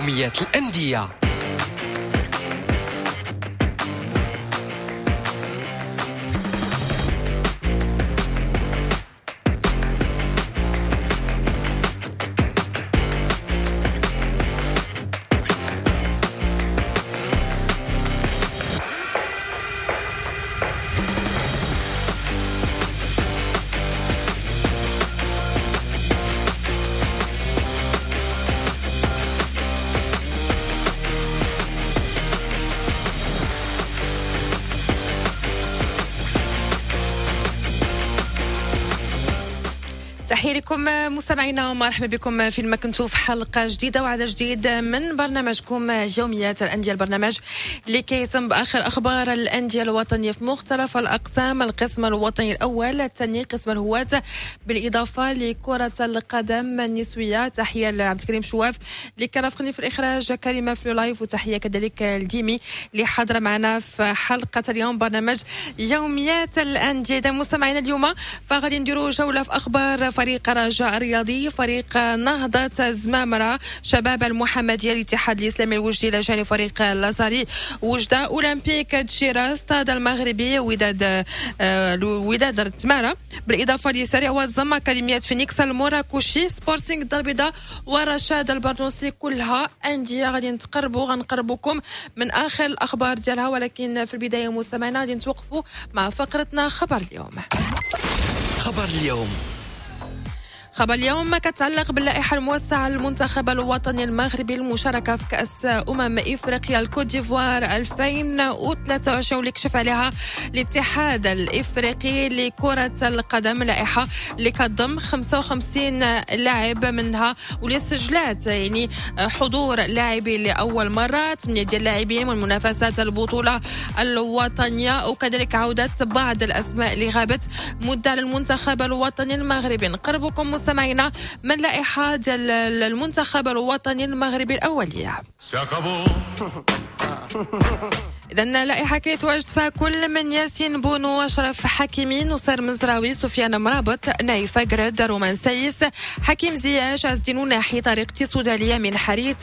يوميات الأندية. تحية لكم مستمعينا ومرحبا بكم فيما كنتوا في حلقة جديدة وعدد جديد من برنامجكم يوميات الأندية، البرنامج اللي كيتم بآخر أخبار الأندية الوطنية في مختلف الأقسام، القسم الوطني الأول، الثاني، قسم الهواة، بالإضافة لكرة القدم النسوية. تحية لعبد الكريم شواف اللي كان رافقني في الإخراج، كريمة في live، وتحية كذلك لديمي اللي حاضرة معنا في حلقة اليوم برنامج يوميات الأندية. إذا مستمعينا اليوم فغادي نديروا جولة في أخبار فريق رجاء الرياضي، فريق نهضة زمامرة، شباب المحمدية، الاتحاد الإسلامي الوجدي إلى جانب فريق لازاري وجدة، أولمبيك دشيرة، ستاد المغربي، وداد التمارة، بالإضافة لسريع وزم، أكاديمية فينيكس المراكشي، سبورتينغ الدار البيضاء ورشاد البرنوسي. كلها أندية غادي غنقربوكم من آخر الأخبار ديالها، ولكن في البداية مستمعينا غادي نتوقفوا مع فقرتنا خبر اليوم. خبر اليوم خبر اليوم كتعلق باللائحة الموسعة للمنتخب الوطني المغربي المشاركة في كأس إفريقيا الكوت ديفوار 2023 واللي كشف عليها الاتحاد الإفريقي لكرة القدم، لائحة اللي كتضم 55 لاعب منها واللي سجلات يعني حضور لاعبين لأول مرة، 8 ديال اللاعبين من منافسات البطولة الوطنية، وكذلك عودة بعض الأسماء اللي غابت مدة للمنتخب الوطني المغربي. نقربكم مستمعينا من لائحة ديال المنتخب الوطني المغربي الأولية. إذا لائحة كيتواجد فيها كل من ياسين بونو، أشرف حكيمي، نصير مزراوي، سفيان مرابط، نايف أكرد، رومان سايس، حكيم زياش، عز الدين أوناحي، طارق تيسودالي، من حريت،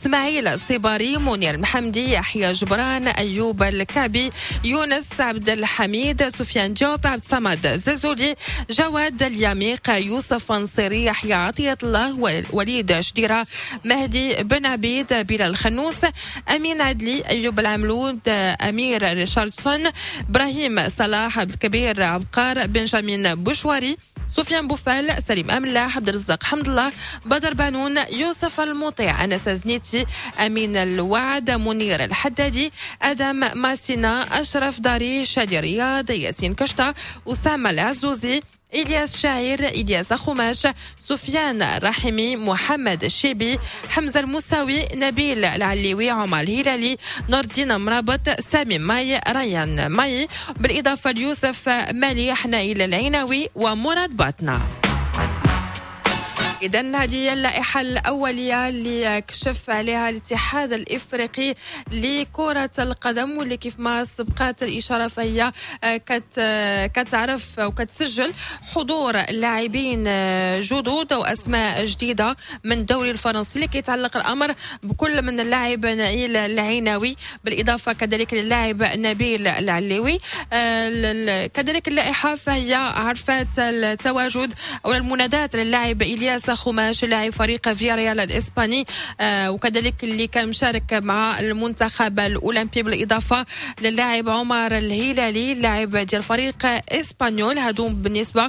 اسماعيل صباري، منير المحمدي، يحيى جبران، أيوب الكعبي، يونس عبد الحميد، سفيان جوب، عبد الصمد زازولي، جواد اليميق، يوسف نصيري، يحيى عطية الله، وليد شديرة، مهدي بن عبيد، بلال خنوس، أمين عدلي، أيوب العملود، أمير ريشاردسون، إبراهيم صلاح، عبد الكبير عبقار، بنجامين بوشواري، سفيان بوفال، سليم أملاح، عبد الرزاق حمد الله، بدر بانون، يوسف المطيع، أنس زنيتي، أمين الوعد، منير الحدادي، أدم ماسينا، أشرف داري، شادي رياض، ياسين كشطة، أسامة العزوزي، إلياس شاعر، إلياس خماش، سفيان الرحيمي، محمد الشيبي، حمزة المساوي، نبيل العليوي، عمر الهلالي، نور الدين مرابط، سامي ماي، ريان ماي، بالإضافة ليوسف مالي، نائل العيناوي، ومراد باطنة. إذن هذه هي اللائحة الأولية اللي كشف عليها الاتحاد الإفريقي لكرة القدم، واللي كيف ما سبقات الإشارة فهي كتعرف وكتسجل حضور لاعبين جدد وأسماء جديدة من الدوري الفرنسي، اللي كيتعلق الأمر بكل من اللاعب نائل العيناوي، بالإضافة كذلك للاعب نبيل العليوي. كذلك اللائحة فهي عرفت التواجد أو المنادات للاعب إلياس خماش، لاعب فريق فياريال الإسباني، وكذلك اللي كان مشارك مع المنتخب الأولمبي، بالإضافة للاعب عمر الهلالي لاعب ديال فريق إسبانيول. هادو بالنسبة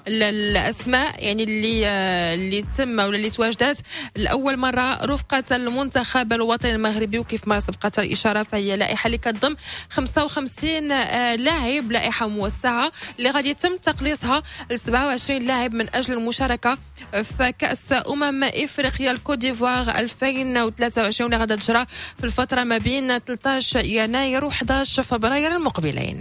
للأسماء يعني اللي تم ولا اللي تواجدت لأول مرة رفقة المنتخب الوطني المغربي. وكيف ما سبقت الإشارة فهي لائحة اللي كتضم 55 لاعب، لائحة موسعة اللي غادي يتم تقليصها ل 27 لاعب من أجل المشاركة في كأس إفريقيا الكوت ديفوار 2023 اللي غادا تجرى في الفترة ما بين 13 يناير و 11 فبراير المقبلين.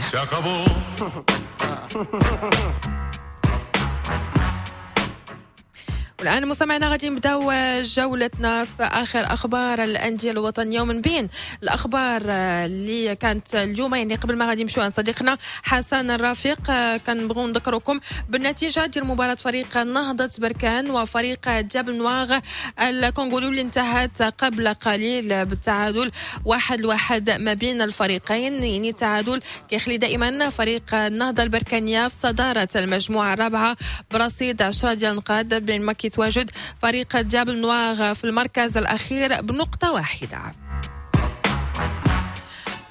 والان مستمعينا غادي نبداو جولتنا في اخر اخبار الاندية الوطنية، ومن بين الاخبار اللي كانت اليوم يعني قبل ما غادي نمشيو عند صديقنا حسن الرفيق، كنبغيو نذكركم بالنتيجة ديال مباراة فريق نهضة بركان وفريق Diables Noirs الكونغولي اللي انتهت قبل قليل بالتعادل 1-1 ما بين الفريقين. يعني تعادل كيخلي دائما فريق النهضة البركانيه في صدارة المجموعة الرابعة برصيد 10 ديال النقاط، بينما كيتواجد فريق Diables Noirs في المركز الأخير بنقطة واحدة.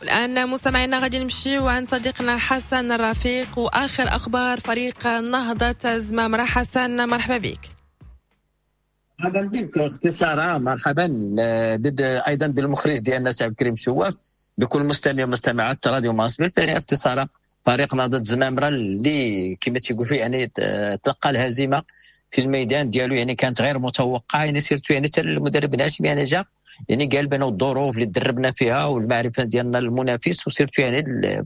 الآن مستمعينا غادي نمشيو عند صديقنا حسن الرفيق وآخر أخبار فريق نهضة زمامرة. حسن مرحبا بك. مرحبا بك اختي ساره، مرحبا ايضا بالمخرج ديالنا سي عبد الكريم شواف، بكل مستمع ومستمعات راديو مارس. بالفعل اختي ساره، فريق نهضة زمامرة اللي كما تيقولوا يعني تلقى الهزيمة في الميدان ديالو، يعني كانت غير متوقعه، يعني surtout يعني حتى المدرب الهاشمي يعني جا يعني قال بانه الظروف اللي دربنا فيها والمعرفة ديالنا المنافس، و surtout يعني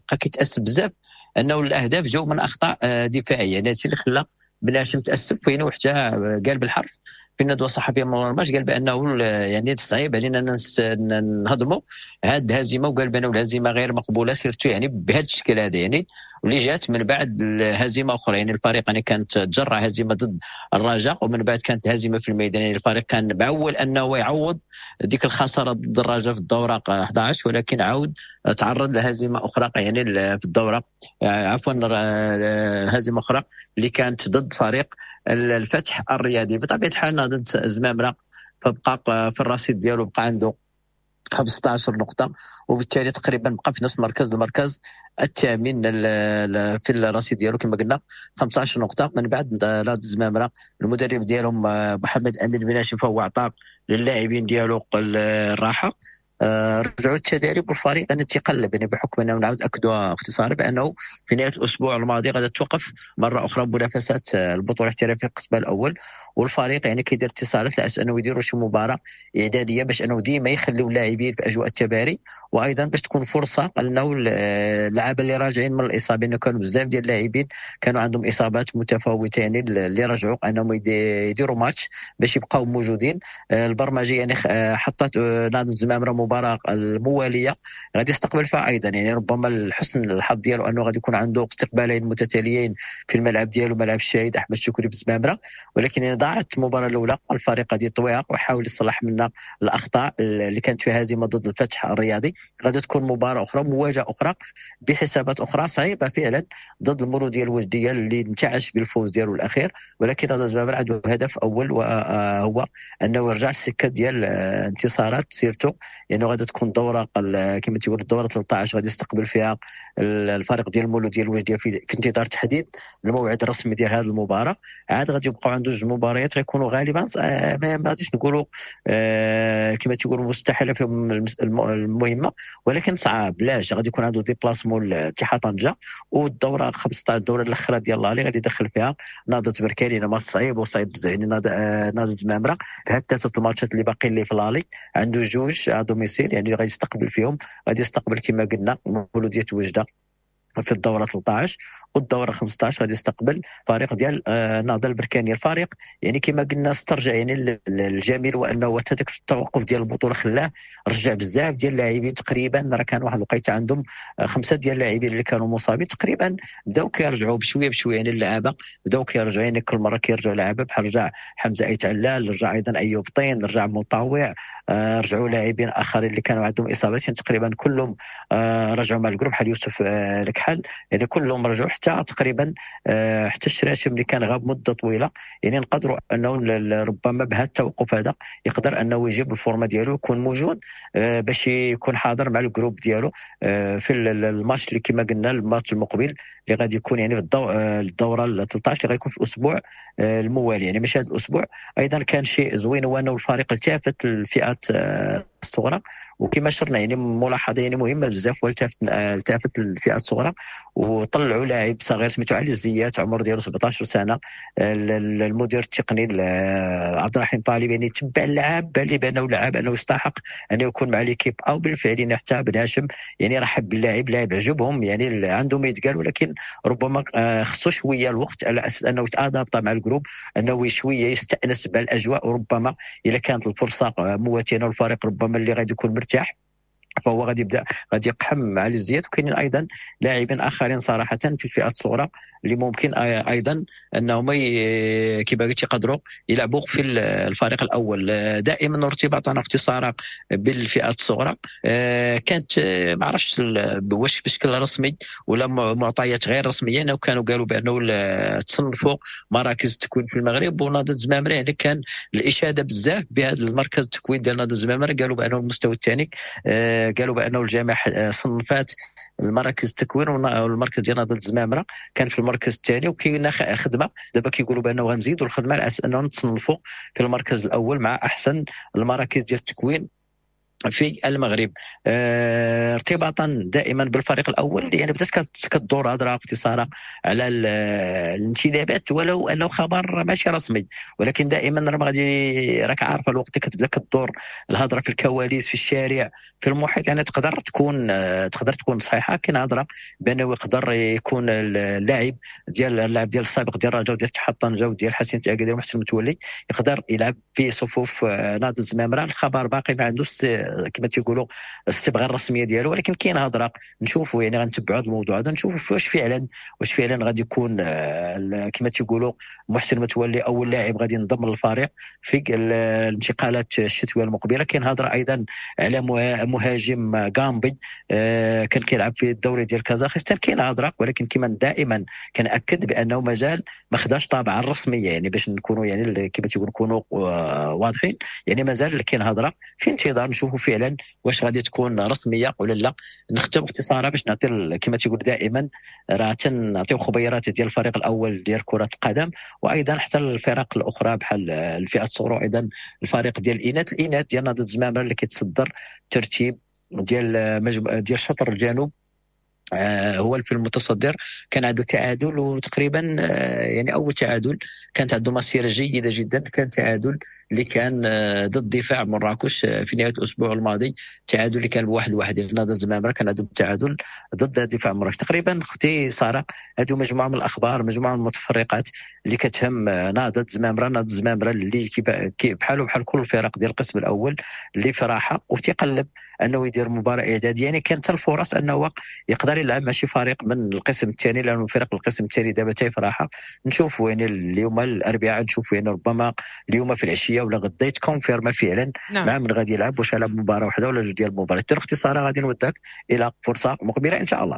بقى كيتاسف بزاف انه الاهداف جاو من اخطاء دفاعية، يعني هادشي اللي خلى بن هاشم تاسف. وين وحتى قال بالحرف في الندوة الصحفية مورا الماتش، قال بانه يعني صعيب علينا نهضموا هذه الهزيمه، وقال بانه الهزيمة غير مقبولة surtout يعني بهذا الشكل هذا، يعني واللي جات من بعد هزيمة اخرى. يعني الفريق يعني كانت تجرع هزيمة ضد الرجاء، ومن بعد كانت هزيمة في الميدان، يعني الفريق كان معول انه يعوض ديك الخسارة ضد الرجاء في الدورة 11، ولكن عاود تعرض لهزيمه اخرى يعني في الدورة عفوا هزيمة اخرى اللي كانت ضد فريق الفتح الرياضي. بطبيعة الحال نهضة زمامرة فبقى في الرصيد ديالو بقى عنده 15 نقطة، وبالتالي تقريبا بقى في نفس المركز الثامن في الرصيد ديالو كما قلنا 15 نقطة. من بعد نهضة زمامرة المدرب ديالهم محمد أمين بن هاشم فهو عطى للاعبين ديالو الراحة، رجعوا التدريب والفريق يعني تيقلب، يعني بحكم انه نعاود اكدوا اختصارا بانه في نهاية الاسبوع الماضي غادي توقف مرة اخرى منافسات البطولة الاحترافية القسم الاول، والفريق يعني كيدير اتصالات على اساس انه يديروا شي مباراة اعدادية باش انه ديما يخليو اللاعبين في اجواء التباري، وايضا باش تكون فرصة انه اللعابه اللي راجعين من الاصابة، انه كانوا بزاف ديال اللاعبين كانوا عندهم اصابات متفاوتة يعني اللي رجعوا انهم يديروا ماتش باش يبقاو موجودين. البرمجة يعني حطت نهضة الزمامره المباراة الموالية غادي يستقبل فيها ايضا، يعني ربما الحسن الحظ ديالو انه غادي يكون عنده استقبالين متتاليين في الملعب ديالو ملعب الشهيد احمد شكري بزمامره، ولكن يعني ضاعت المباراة الاولى الفريق غادي يطويها ويحاول يصلح منها الاخطاء اللي كانت فيها هزيمة ضد الفتح الرياضي. غادي تكون مباراة اخرى مواجهة اخرى بحسابات اخرى صعيبة فعلا ضد المولوديه الوجديه اللي انتعش بالفوز ديالو الاخير، ولكن هذا زمامرة عنده هدف اول وهو انه يرجع السكة ديال انتصارات surtout، لانه يعني غادي تكون دوره كما تقول الدورة 13 غادي يستقبل فيها الفريق ديال المولوديه الوجديه في انتظار تحديد الموعد الرسمي ديال هذه المباراة. عاد غادي يبقاو عنده جوج مباريات غيكونوا غالبا ما غاديش نقولوا كما تقولوا مستحيلة فيهم المهمة، ولكن صعاب. لاش غادي يكون عنده déplacement لاتحاد طنجه، والدوره 15 الدورة الاخرى ديال l'aller غادي يدخل فيها نهضة بركان، ماتش صعيب وصعيب بزاف. يعني نهضة زمامرة في هاد ثلاثة الماتشات اللي باقيين ليه في l'aller عنده جوج à domicile، يعني غادي يستقبل فيهم، غادي يستقبل كما قلنا مولوديه وجده في الدورة 13 والدوره 15 غادي يستقبل فريق ديال النهضة البركانيه. الفريق يعني كما قلنا استرجع يعني الجميل وانه حتى داك التوقف ديال البطولة خلاه رجع بزاف ديال اللاعبين، تقريبا راه كان واحد الوقيته عندهم 5 ديال اللاعبين اللي كانوا مصابين تقريبا بداو كيرجعوا بشوية بشوية، يعني اللعابه بداو كيرجعوا، يعني كل مرة كيرجعوا لعابه بحال رجع حمزة ايت علال، رجع ايضا ايوب طين، رجع مطاوع، رجعوا لاعبين اخرين اللي كانوا عندهم اصابات، يعني تقريبا كلهم رجعوا مع ال groupe بحال يوسف الكحل، يعني كلهم رجعوا حتى تقريبا حتى الشراشم اللي كان غاب مده طويلة. يعني نقدروا انه ربما بهذا التوقف هذا يقدر انه يجيب ال forme ديالو يكون موجود باش يكون حاضر مع ال groupe ديالو في الماتش اللي كما قلنا الماتش المقبل اللي غادي يكون يعني في الدورة 13 اللي غيكون في الاسبوع الموالي، يعني ماشي هذا الاسبوع. ايضا كان شيء زوين هو انه الفريق التفت الفئات الصغرى. وكما شرنا يعني ملاحظة يعني مهمة بزاف، والتفت للفئه الصغرى وطلعوا لاعب صغير سميتو علي الزيات، عمر ديالو 17 سنة. المدير التقني عبد الرحيم طالب يعني تبع اللاعب اللي بانه لاعب انه يستحق انه يكون مع l'équipe A، بالفعل يعني حتى بن هاشم يعني رحب باللاعب، لاعب عجبهم يعني عنده ما يتقال، ولكن ربما خصو شوية الوقت على اساس انه يت adapta مع ال groupe، انه شوية يستانس بالاجواء، وربما اذا كانت الفرصة مواتيه والفريق ربما اللي غادي يكون مرتاح فهو غادي يبدا غادي يقحم علي الزيات. وكاينين ايضا لاعبين اخرين صراحة في الفئات الصغرى اللي ممكن ايضا انهم كما قلت يقدروا يلعبوا في الفريق الاول. دائما ارتباطنا اختصارا بالفئات الصغرى كانت ما عرفتش واش بشكل رسمي ولا معطيات غير رسمية، انه كانوا قالوا بانه تصنفوا مراكز التكوين في المغرب، ونهضه الزمامره يعني كان الاشادة بزاف بهذا المركز التكوين ديال نهضة الزمامره، قالوا بانه المستوى الثاني، قالوا بانه الجامعة صنفات المراكز التكوين والمركز ديال نهضة الزمامره كان في المركز الثاني، وكاينه خدمة دابا كيقولوا بانه غنزيدوا الخدمة على اساس انه نتصنفوا في المركز الاول مع احسن المراكز ديال التكوين في المغرب. ارتباطا دائما بالفريق الاول يعني بدات كدور هضره اختصارا على الانتدابات، ولو انه خبر ماشي رسمي، ولكن دائما راه غادي راك عارفه الوقت كتبدا كدور الهضرة في الكواليس في الشارع في المحيط، يعني تقدر تكون صحيحه. كاين هضره بانه يقدر يكون اللاعب ديال السابق ديال الرجاء وديال اتحاد طنجه وديال حسين اكادير ومحسن متولي يقدر يلعب في صفوف نهضة الزمامره. الخبر باقي ما عندوش كما تيقولوا الصبغه الرسمية ديالو، ولكن كاين هضره، نشوفوا يعني غنتبعوا هذا الموضوع هذا، نشوفوا واش فعلا غادي يكون كما تيقولوا محسن متولي اول لاعب غادي ينضم للفريق في الانتقالات الشتوية المقبلة. كاين هضره ايضا على مهاجم غامبي كان كيلعب في الدوري ديال كازاخستان، كاين هضره، ولكن كما دائما كنأكد بانه مازال ما خداش طابعا الرسمية، يعني باش نكونوا يعني كما تيقولوا نكونوا واضحين، يعني مازال كاين هضره في انتظار نشوفوا فعلا واش غادي تكون رسمية ولا لا. نختم اختصارا باش نعطي كما تيقول دائما راه تنعطيو خبيرات ديال الفريق الاول ديال كره القدم، وايضا حتى الفرق الاخرى بحال الفئة الصغرى، وايضا الفريق ديال الاناث ديال نهضة الزمامره اللي كيتصدر ترتيب ديال شطر الجنوب، هو في المتصدر، كان عنده تعادل وتقريبا يعني اول تعادل كانت عنده مسيره جيدة جدا، كان تعادل اللي كان ضد دفاع مراكش في نهاية الاسبوع الماضي، تعادل اللي كان 1-1 ديال نهضة الزمامره، كان عنده تعادل ضد دفاع مراكش. تقريبا اختي ساره هذو مجموعة من الاخبار، مجموعة من المتفرقات اللي كتهم نهضة الزمامره، نهضة الزمامره اللي بحاله بحال كل الفرق ديال القسم الاول اللي في راحة وتيقلب انه يدير مباراة اعدادية، يعني كانت الفرص انه يقدر يلعب مع شي فريق من القسم الثاني، لانه فرق القسم الثاني دابا تاي في راحة. نشوفوا يعني اليوم الاربعاء، نشوفوا يعني ربما اليوم في العشية ولا غدا يت confirma فعلا. نعم. مع من غادي يلعب، واش يلعب مباراة واحدة ولا جوج ديال المباريات. اختصارا غادي نودك الى فرصة مقبله ان شاء الله.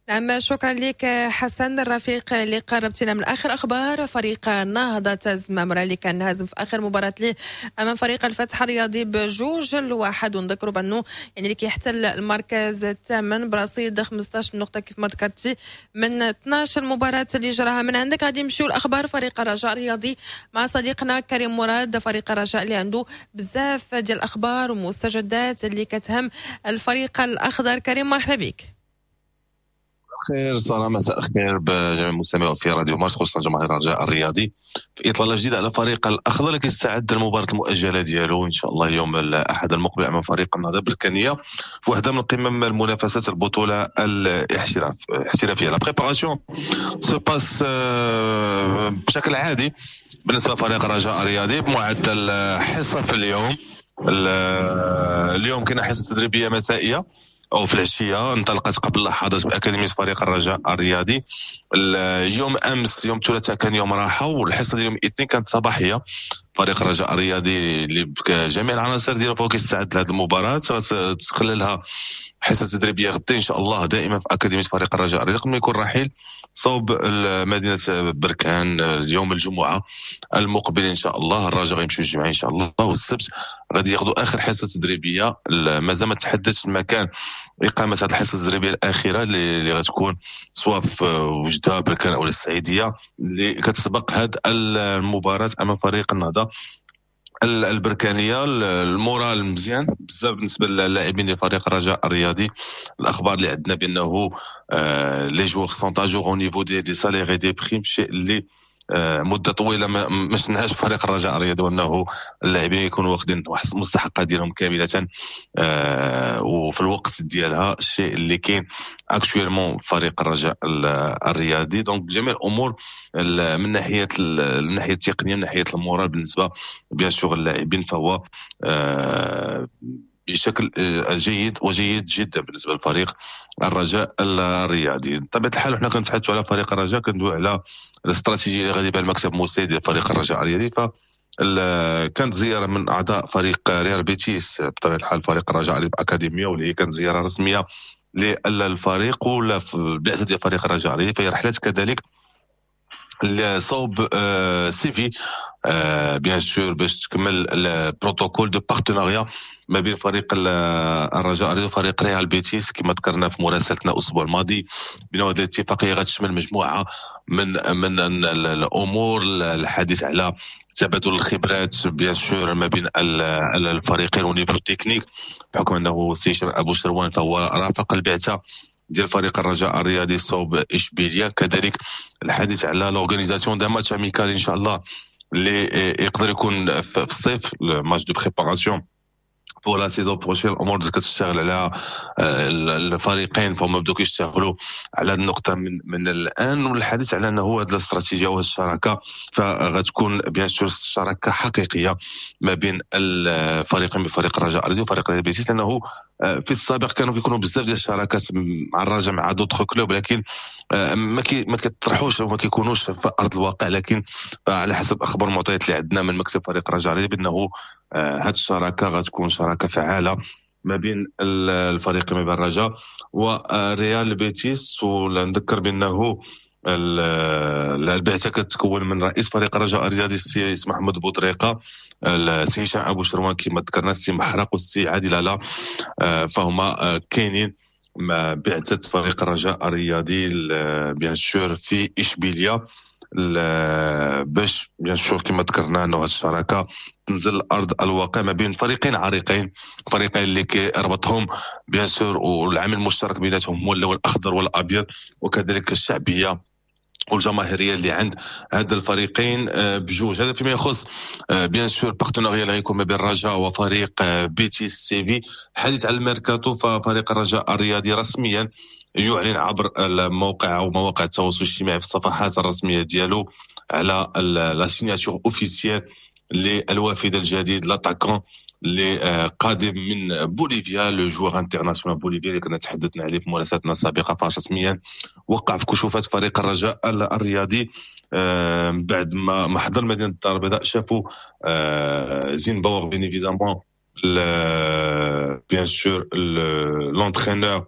نعم، شكرا لك حسن الرفيق اللي قربتنا من اخر اخبار فريق نهضة الزمامره اللي كان هازم في اخر مباراة ليه امام فريق الفتح الرياضي ب2-1، ونذكروا بانه يعني اللي كيحتل المركز الثامن برصيد 15 نقطة كيف ما ذكرتي من 12 مباراة اللي جراها. من عندك غادي نمشيو لاخبار فريق الرجاء الرياضي مع صديقنا كريم مراد. فريق الرجاء اللي عنده بزاف ديال الاخبار ومستجدات اللي كتهم الفريق الاخضر. كريم مرحبا بك. خير سارة، مساء الخير بجميع المستمعين في راديو مارس، خصوصا جماهير الرجاء الرياضي، في اطلالة جديدة على فريق الاخضر اللي كيستعد للمباراة المؤجلة ديالو ان شاء الله يوم الاحد المقبل امام فريق النهضة البركانيه في واحدة من قمم المنافسات البطولة الاحترافية. la préparation se passe بشكل عادي بالنسبة لفريق الرجاء الرياضي بمعدل حصة في اليوم. اليوم كاينه حصة تدريبية مسائية او في العشية انطلقت قبل لحظات باكاديميه فريق الرجاء الرياضي. اليوم امس يوم الثلاثاء كان يوم راحة، والحصه ديال يوم الاثنين كانت صباحية. فريق الرجاء الرياضي اللي بجميع العناصر ديالو فهو كيستعد لهذه المباراة، غتخللها حصة تدريبية غدا ان شاء الله دائما في اكاديمية فريق الرجاء الرياضي قبل ما يكون رحيل صوب مدينة بركان اليوم الجمعة المقبل ان شاء الله. الرجاء غيمشيو الجمعة ان شاء الله، والسبت غادي ياخذوا اخر حصة تدريبية. مازال ما تحددش المكان اقامه هذه الحصة التدريبية الاخيرة اللي غتكون سواء في وجده بركان او السعيديه اللي كتسبق هذه المباراة امام فريق النهضة البركانيه. ال moral مزيان بزاف بالنسبة للاعبين ديال فريق الرجاء الرياضي. الاخبار اللي عندنا بانه les joueurs sont à jour au niveau des salaires، des primes، شيء اللي مده طويلة ما شفناهاش في فريق الرجاء الرياضي، وانه اللاعبين يكونوا واخدين واحد المستحقات ديالهم كاملة وفي الوقت ديالها، الشيء اللي كاين actuellement فريق الرجاء الرياضي. donc جميع الامور من ناحية التقنيه، من ناحية ال moral بالنسبة bien sûr اللاعبين، فهو بشكل جيد وجيد جدا بالنسبة للفريق الرجاء الرياضي. بطبيعة الحال حنا كنتحدثوا على فريق الرجاء، كندوي على الاستراتيجية اللي غادي بها المكتب المسير ديال فريق الرجاء الرياضي. ف كانت زيارة من اعضاء فريق ريال بيتيس، بطبيعة الحال فريق الرجاء الاكاديميه، واللي هي كانت زيارة رسمية للفريق ولا في البعثة ديال فريق الرجاء الرياضي، فهي رحلات كذلك صوب Séville bien sûr باش تكمل ال protocole de partenariat ما بين فريق الرجاء الرياضي وفريق ريال بيتيس. كما ذكرنا في مراسلتنا الاسبوع الماضي بان هذه الاتفاقية غتشمل مجموعة من الامور، الحديث على تبادل الخبرات bien sûr ما بين الفريقين au niveau technique، بحكم انه سي ابو شروان فهو رافق البعثة ديال فريق الرجاء الرياضي صوب اشبيليا. كذلك الحديث على l'organisation d'un match amical ان شاء الله اللي يقدر يكون في الصيف، match de préparation pour la saison prochaine. الامور بدات كتشتغل على الفريقين، فهم بداو كيشتغلوا على النقطة من الان. والحديث على انه هذه الاستراتيجية وهذه الشراكة فغتكون bien sûr شراكة حقيقية ما بين الفريقين، بفريق الرجاء الرياضي وفريق ريال بيتيس، لانه في السابق كانوا كيكونوا بزاف ديال الشراكات مع الرجاء مع d'autres clubs، لكن ما كيطرحوش وما كيكونوش في ارض الواقع. لكن على حسب اخبار المعطيات اللي عندنا من مكتب فريق الرجاء الرياضي بانه هذه الشراكة غتكون شراكة فعاله ما بين الفريق، ما بين الرجاء وريال بيتيس. ونذكر بانه البعثة كتكون من رئيس فريق الرجاء الرياضي السي محمد بوطريقه، السي هشام ابو شروان كما ذكرنا، السي محرق والسي عادل لالا، فهما كاينين مع بعثه فريق الرجاء الرياضي bien sûr في اشبيليا، باش bien sûr كما ذكرنا انه هذه الشراكة تنزل ارض الواقع ما بين فريقين عريقين، فريقين اللي كيربطهم bien sûr والعامل المشترك بيناتهم هو اللون الاخضر والابيض، وكذلك الشعبية والجماهيريه اللي عند هذا الفريقين بجوج. هذا فيما يخص bien sûr partenariat اللي غيكون ما بين الرجاء وفريق بيتيس سيفي. الحديث على الميركاتو، ففريق الرجاء الرياضي رسميا يعلن عبر الموقع او مواقع التواصل الاجتماعي في الصفحات الرسمية ديالو على la signature officielle للوافد الجديد، l'attaquant اللي قادم من بوليفيا، le joueur international bolivien اللي كنا تحدثنا عليه في مراسلتنا السابقه. فرسميا وقع في كشوفات فريق الرجاء الرياضي بعد ما حضر مدينة الدار البيضاء، شافوا زينباور bien évidemment، bien sûr l'entraîneur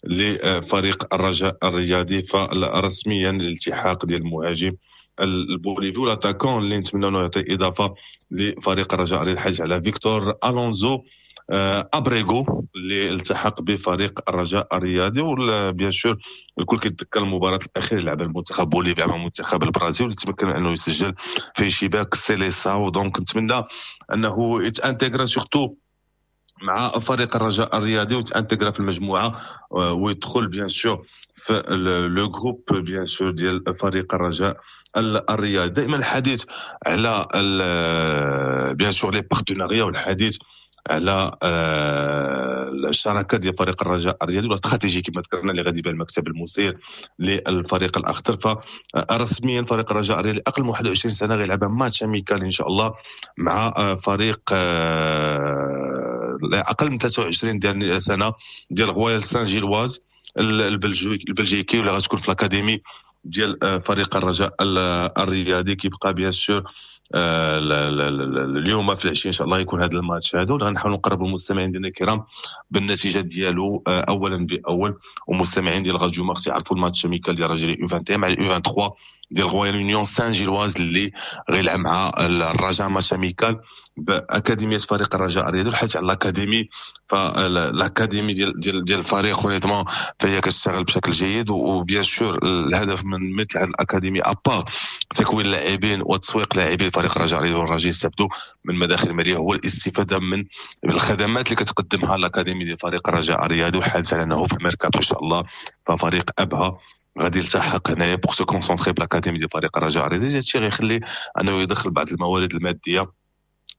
لفريق الرجاء الرياضي. فرسميا الالتحاق ديال المهاجم البوليفي و l'attaquant اللي نتمنى انه يعطي اضافه لفريق الرجاء الرياضي، الحديث على فيكتور الونزو ابريغو اللي التحق بفريق الرجاء الرياضي. و bien sûr الكل كيتذكر المباراة الاخيرة اللي لعبها المنتخب بوليفيا مع منتخب البرازيل، واللي تمكن انه يسجل في شباك سيليساو. donc نتمنى انه يت intégra surtout مع فريق الرجاء الرياضي ويت intégra في المجموعة ويدخل bien sûr في le groupe bien sûr ديال فريق الرجاء الرياضي. دائما الحديث على bien sûr les partenariats والحديث على الشراكة ديال فريق الرجاء الرياضي والاستراتيجي كما ذكرنا اللي غادي بها المكتب المسير للفريق الاخضر. فرسميا فريق الرجاء الرياضي اقل من 21 سنة غيلعب match amical ان شاء الله مع فريق اقل من 23 ديال سنة ديال رويال سان جيلواز البلجيكي، واللي غتكون في l'académie ديال فريق الرجاء الرياضي. كيبقى bien sûr اليوم في العشية ان شاء الله يكون هذا الماتش هذا، غنحاولوا نقربوا المستمعين ديالنا الكرام بالنتيجة ديالو اولا باول، ومستمعين ديال راديو مارس يعرفوا ال match amical ديال الرجاء U 21 مع U 23. ديال Royale Union Saint-Gilloise اللي غيلعب مع الرجاء match amical باكاديميه فريق الرجاء الرياضي. الحديث على l'académie، ف l'académie ديال الفريق honnêtement فهي كتشتغل بشكل جيد، و bien sûr الهدف من مثل هذه الاكاديمي à part تكوين اللاعبين وتسويق لاعبي فريق الرجاء الرياضي والرجاء يستافدوا من مداخل ماليه، هو الاستفادة من الخدمات اللي كتقدمها الاكاديمي ديال فريق الرجاء الرياضي. والحديث على انه في الميركاتو ان شاء الله ففريق ابها غادي يلتحق هنايا pour se concentrer ب l'académie ديال فريق الرجاء الرياضي. هادشي غيخلي انه يدخل بعض الموارد المادية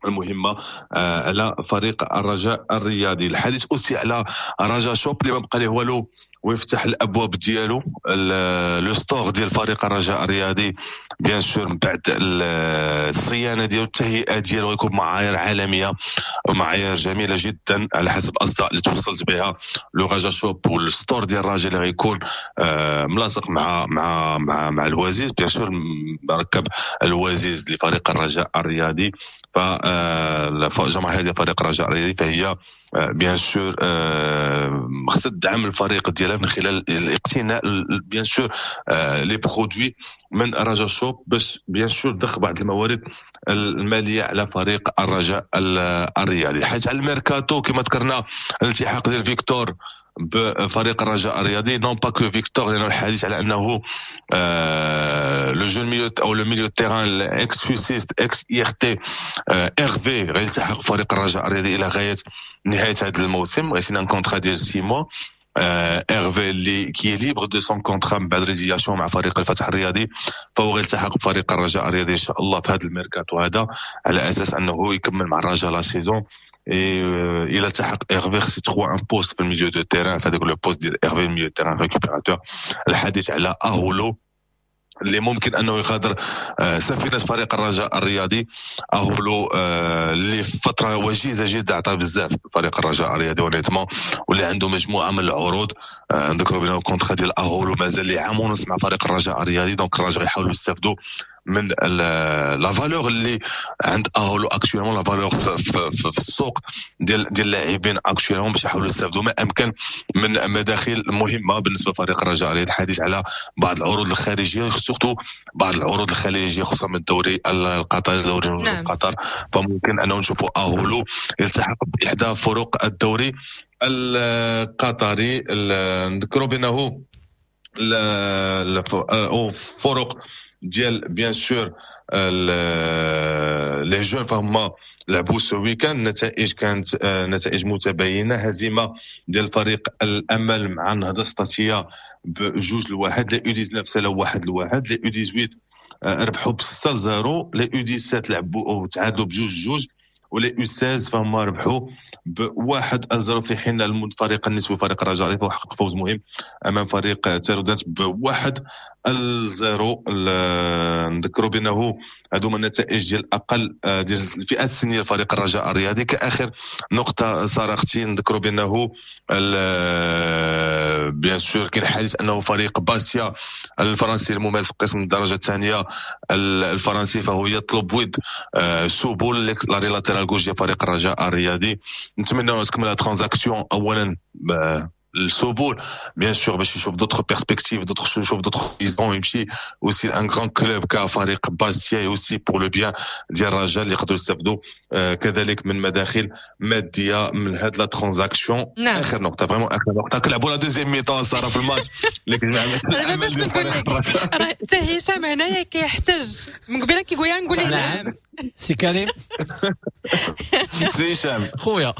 المهمة على فريق الرجاء الرياضي. الحديث aussi على رجاء shop اللي ما بقى ليه والو ويفتح الابواب ديالو، le store ديال فريق الرجاء الرياضي bien sûr من بعد الصيانة ديالو التهيئه ديالو غيكون معايير عالمية ومعايير جميلة جدا على حسب الاصداء اللي توصلت بها le رجا shop وال store ديال الرجاء اللي غيكون ملاصق مع مع مع مع الوازيز، bien sûr مركب الوازيز لفريق الرجاء الرياضي. فالجماهير ديال فريق الرجاء الرياضي فهي bien sûr خصها تدعم الفريق ديالها من خلال الاقتناء bien sûr les produits من رجا shop باش bien sûr تدخل بعض الموارد المالية على فريق الرجاء الرياضي. الحديث على الميركاتو كما ذكرنا الالتحاق ديال فيكتور بفريق الرجاء الرياضي، non pas que فيكتور، لانه الحديث على انه le jeune milieu او le milieu terrain ex-FUSISTE ex-IRT ايرفي غيلتحق بفريق الرجاء الرياضي الى غاية نهاية هذا الموسم، غيسيني un contrat ديال 6 mois. ايرفي اللي qui est libre de son contrat من بعد résiliation مع فريق الفتح الرياضي، فهو غيلتحق بفريق الرجاء الرياضي ان شاء الله في هذا الميركاتو هذا على اساس انه يكمل مع الرجاء la saison. الى التحق ايرفي خص يتخوى un poste في ال milieu de terrain، هذاك le poste ديال ايرفي ال milieu terrain récupérateur. الحديث على اهولو اللي ممكن انه يغادر سفينة فريق الرجاء الرياضي. اهولو اللي في فترة وجيزة جدا عطى بزاف فريق الرجاء الرياضي honnêtement، واللي عنده مجموعة من العروض. نذكروا بان ال contrat ديال اهولو مازال ليه عام ونص مع فريق الرجاء الرياضي، donc الرجاء يحاولوا يستافدوا من la valeur اللي عند اهولو actuellement، la valeur في السوق ديال اللاعبين actuellement، باش يحاولوا يستافدوا ما امكن من مداخل مهمة بالنسبة لفريق الرجاء الرياضي. الحديث على بعض العروض الخارجية، surtout بعض العروض الخليجية خصوصا من الدوري القطري، دوري نعم. قطر، فممكن انه نشوفوا اهولو يلتحق باحدى فرق الدوري القطري. نذكروا بانه فرق ديال bien sûr les jeunes فهما لعبوا ce week-end، النتائج كانت نتائج متباينة، هزيمة ديال فريق الامل مع النهضة السطاتيه ب2-1، les U19 سلاو 1-1، les U18 ربحوا ب6-0، les U17 لعبوا او تعادلوا ب2-2، و les U16 فهما ربحوا ب1-0، في حين الفريق النسوي فريق الرجاء فهو حقق فوز مهم امام فريق تارودانت ب1-0. نذكروا بانه هذو هما النتائج ديال اقل ديال الفئات السنية لفريق الرجاء الرياضي. كاخر نقطة صراحتي نذكروا بانه bien sûr كاين حديث انه فريق باستيا الفرنسي الممارس في قسم الدرجة الثانية الفرنسي فهو يطلب ود سوبول l'arrière latéral gauche ديال فريق الرجاء الرياضي. نتمنى تكمل transaction اولا السبول bien sûr باش يشوف d'autres perspectives، d'autres يشوف d'autres horizons، يمشي aussi un grand club كفريق باستيا aussi pour le bien ديال الرجاء اللي يقدروا يستافدوا كذلك من مداخل مادية من هاد la transaction. نعم. اخر نقطة vraiment اخر نقطة، كنلعبوا la deuxième mi-temps صار في الماتش. انا باش نقول لك راه حتى هشام هنايا كيحتج من قبيلة كيقول نقول ليه نعم سي كريم سي هشام خويا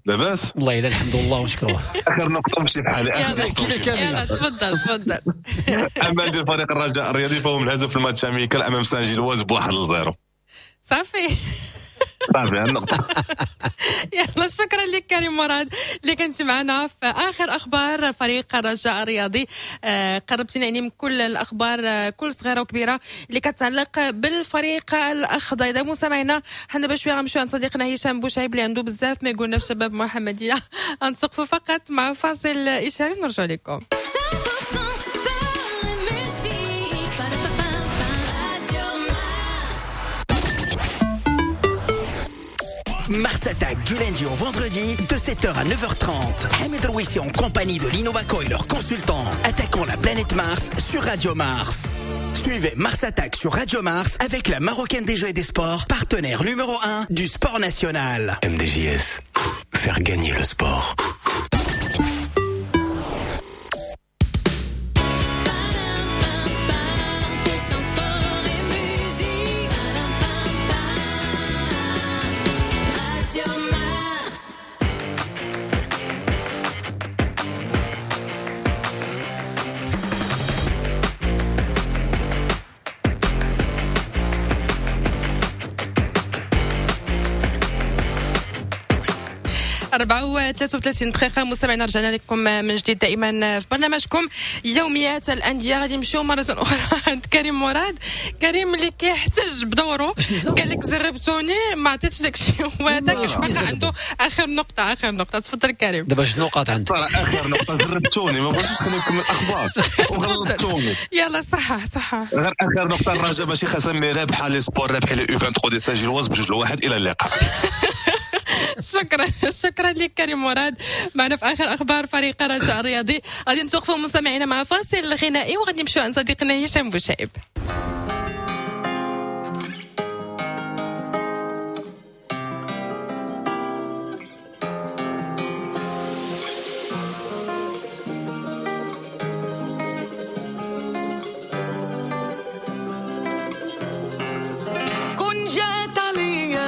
لاباس؟ والله الا الحمد لله ونشكروه. اخر نقطة مشي بحالي، اخر نقطة مشي بحالي. يلا تفضل تفضل. امل ديال فريق الرجاء الرياضي فهو منهزم في ال match amical امام سان جيلواز ب1-0. صافي صافي النقطة. يلا شكرا لك كريم مراد اللي كنت معنا في اخر اخبار فريق الرجاء الرياضي. قربتينا يعني من كل الاخبار، كل صغيرة وكبيره اللي كتعلق بالفريق الاخضر. اذا مستمعينا حنا باش شوية غنمشيو عند صديقنا هشام بوشعيب اللي عنده بزاف ما يقولنا في شباب محمديه. غنتوقفوا فقط مع فاصل اشاري ونرجع لكم. Mars Attack du lundi au vendredi de 7h à 9h30. Hamid Rouissi en compagnie de l'Innovaco et leurs consultants attaquant la planète Mars sur Radio Mars. Suivez Mars Attack sur Radio Mars avec la Marocaine des Jeux et des Sports, partenaire numéro 1 du sport national. MDJS, faire gagner le sport. أربعة 33 دقيقة مستمعينا، رجعنا لكم من جديد دائما في برنامجكم يوميات الأندية. غادي نمشيو مرة أخرى عند كريم مراد. كريم اللي كيحتج بدوره، قال لك زربتوني ما عطيتش داك الشيء، وهذاك باقي عنده آخر نقطة. آخر نقطة، تفضل كريم. دابا شنو نقاط عندك؟ آخر نقطة زربتوني، ما بغيتش نكمل الأخبار وغلطتوني. يلا صح صح، غير آخر نقطة. الرجاء ماشي خسر، رابحة les sports، رابحة les U23 ديال Saint-Gilloise ب2-1. إلى اللقاء. شكرا شكرا لك كريم مراد معنا في اخر اخبار فريق الرجاء الرياضي. غادي نتوقفوا مستمعينا مع فاصل غنائي وغادي نمشيو عند صديقنا هشام بوشعيب. كن جات عليا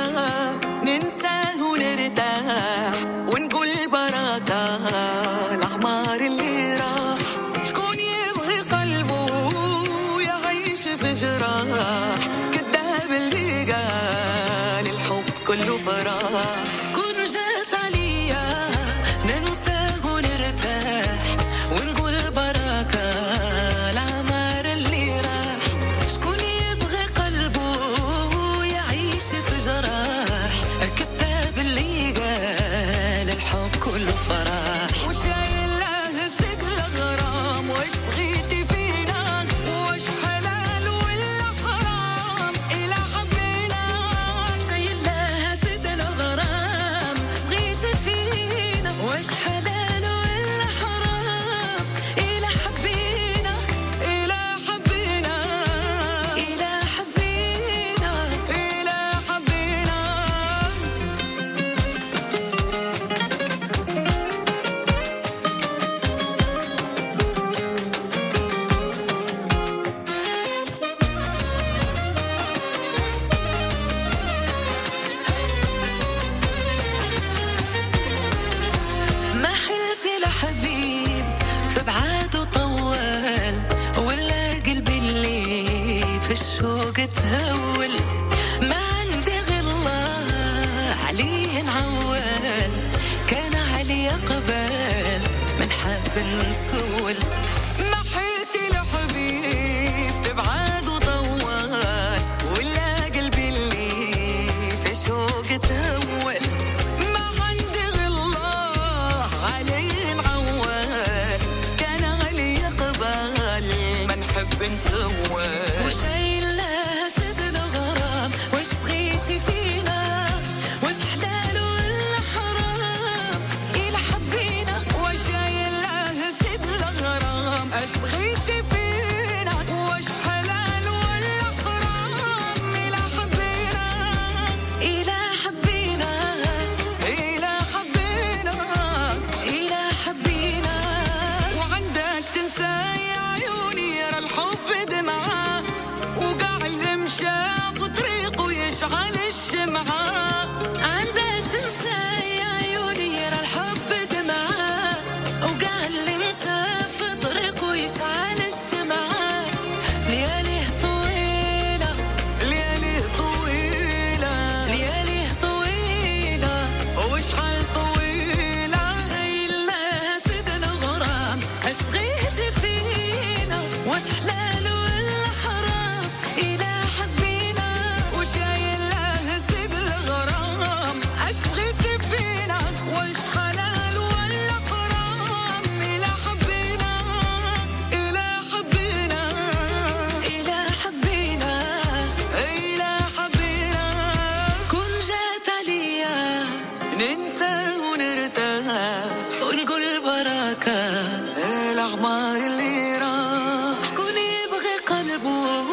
بركة الأعمار اللي راح، شكون يبغي قلبه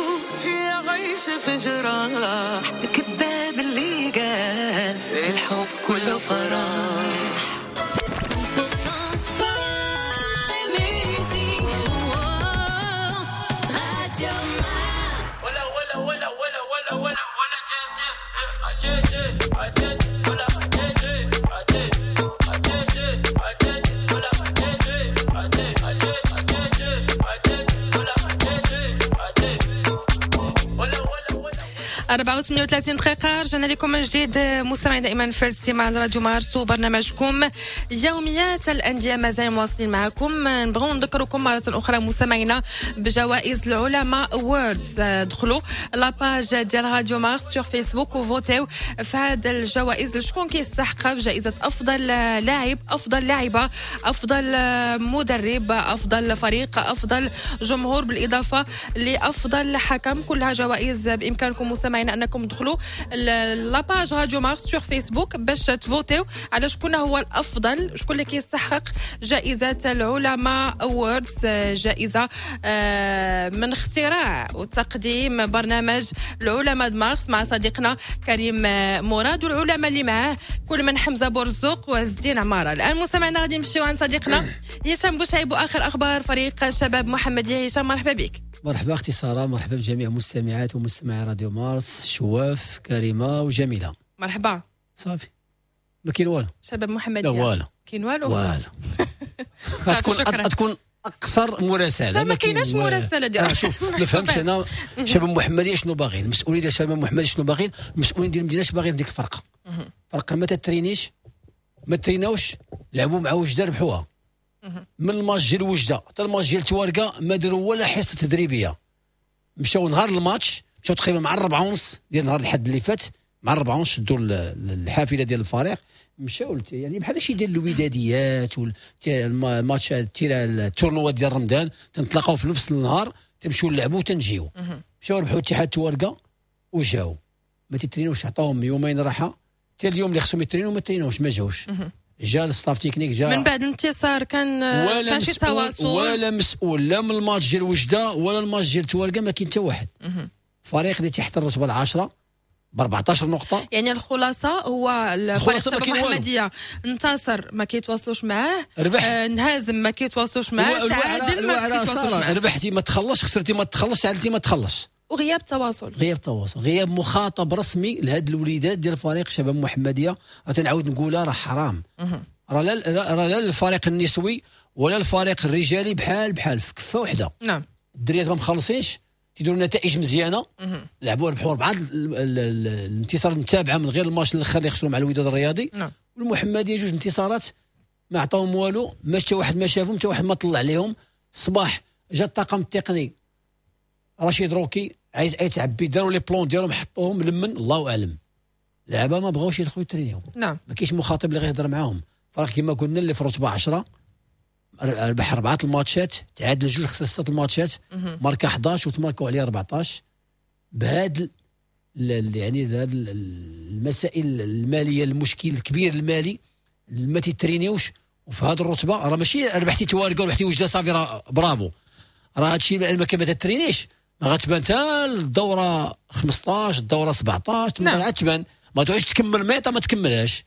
يعيش في جراح، كذاب اللي قال الحب كله فرح. ولا ولا ولا ولا ولا ولا ولا جي جي ولا جي جي جي جي ولا جي جي جي ولا جي جي ولا ولا. 4:38 دقيقة، رجعنا لكم من جديد مستمعين دائما في الاستماع لراديو مارس وبرنامجكم يوميات الأندية، مازال مواصلين معكم. نبغوا نذكركم مرة أخرى مستمعينا بجوائز العلماء Awards. دخلوا la page ديال راديو مارس sur فيسبوك وفوتيو في هذا الجوائز شكون كيستحق في جائزة أفضل لاعب، أفضل لاعبة، أفضل مدرب، أفضل فريق، أفضل جمهور، بالإضافة لأفضل حكم. كلها جوائز بإمكانكم مستمعينا انكم تدخلوا la page راديو مارس sur فيسبوك باش تفوتيو على شكون هو الافضل، شكون اللي كيستحق جائزة العلماء Awards، جائزة من اختراع وتقديم برنامج العلماء مارس مع صديقنا كريم مراد والعلماء اللي معاه كل من حمزة بورزوق وعز الدين عمارة. الان مستمعينا غادي نمشيو عند صديقنا هشام بوشعيب واخر اخبار فريق شباب محمديه. هشام مرحبا بك. مرحبا اختي ساره، مرحبا بجميع مستمعات ومستمعي راديو مارس، شواف، كريمة وجميلة. مرحبا. صافي ما كاين والو. شباب محمديه لا والو، كاين والو والو. غتكون اقصر مراسله، ما كايناش مراسله ديال شوف ما فهمتش انا شباب محمديه شنو باغيين، المسؤولين ديال شباب محمديه شنو باغيين، المسؤولين ديال المدينة اش باغيين. ديك الفرقة فرقه ما تترينيش، ما تريناوش، لعبوا مع وجده ربحوها، من الماتش ديال وجده حتى الماتش ديال تواركه ما داروا ولا حصة تدريبية. مشاو نهار الماتش، مشاو تقريبا مع 4:30 ديال نهار الحد اللي فات، مع 4:30 شدوا الحافلة ديال الفريق، مشاو يعني بحال شي ديال الوداديات والماتش ال tournoi ديال رمضان، تنتلاقاو في نفس النهار، تمشيو نلعبوا وتنجيو. مشاو ربحوا اتحاد تواركه وجاو ما تيترينوش، عطاهم يومين راحة، حتى اليوم اللي خصهم يترينوا ما ترينوش، ما جاوش. جا ال staff technique، جا من بعد الانتصار كان شي تواصل ولا مسؤول لا من الماتش ديال وجده ولا الماتش ديال تواركه، ما كاين حتى واحد. فريق اللي تحت الرتبة 10 ب 14 نقطة. يعني الخلاصة هو الفريق المحمدية انتصر ما كيتواصلوش معاه، انهزم ما كيتواصلوش معاه، تعادل ما كيتواصلوش معاه، ربحتي ما تخلصش، خسرتي ما تخلصش، تعادلتي ما تخلصش. وغياب تواصل، غياب تواصل، غياب مخاطب رسمي لهاد الوليدات ديال فريق شباب محمديه. تنعاود نقولها راه حرام، راه لا الفريق النسوي ولا الفريق الرجالي بحال بحال في كفه وحده. نعم، الدريات ما مخلصينش، تيديروا نتائج مزيانه، لعبوا ربحوا 4 الانتصار المتابعة من غير الماتش الاخر اللي خسروا مع الوداد الرياضي. نعم. والمحمديه 2 انتصارات ما عطاهم والو، ما حتى واحد ما شافهم، حتى واحد ما طلع عليهم. الصباح جا الطاقم التقني رشيد روكي عايز يتعبي، داروا les plans ديالهم حطوهم لمن الله اعلم. لعبه ما بغاوش يدخلوا يترينيو. نعم، ما كاينش مخاطب اللي غيهضر معاهم. فرق كما قلنا اللي في رتبه 10 ربح 4 الماتشات، تعادل 2، خسر 6 الماتشات، ماركا 11 وتماركوا عليه 14. بهاد يعني هاد المسائل المالية، المشكل الكبير المالي ما تيترينيوش. وفي هاد الرتبة راه ماشي ربحتي تواركه وربحتي وجده صافي راه برافو، راه هادشي ما تترينيش ما غتبان حتى الدورة 15 الدورة 17 تما عاد تبان، ما تعودش تكمل ميطه ما تكملهاش.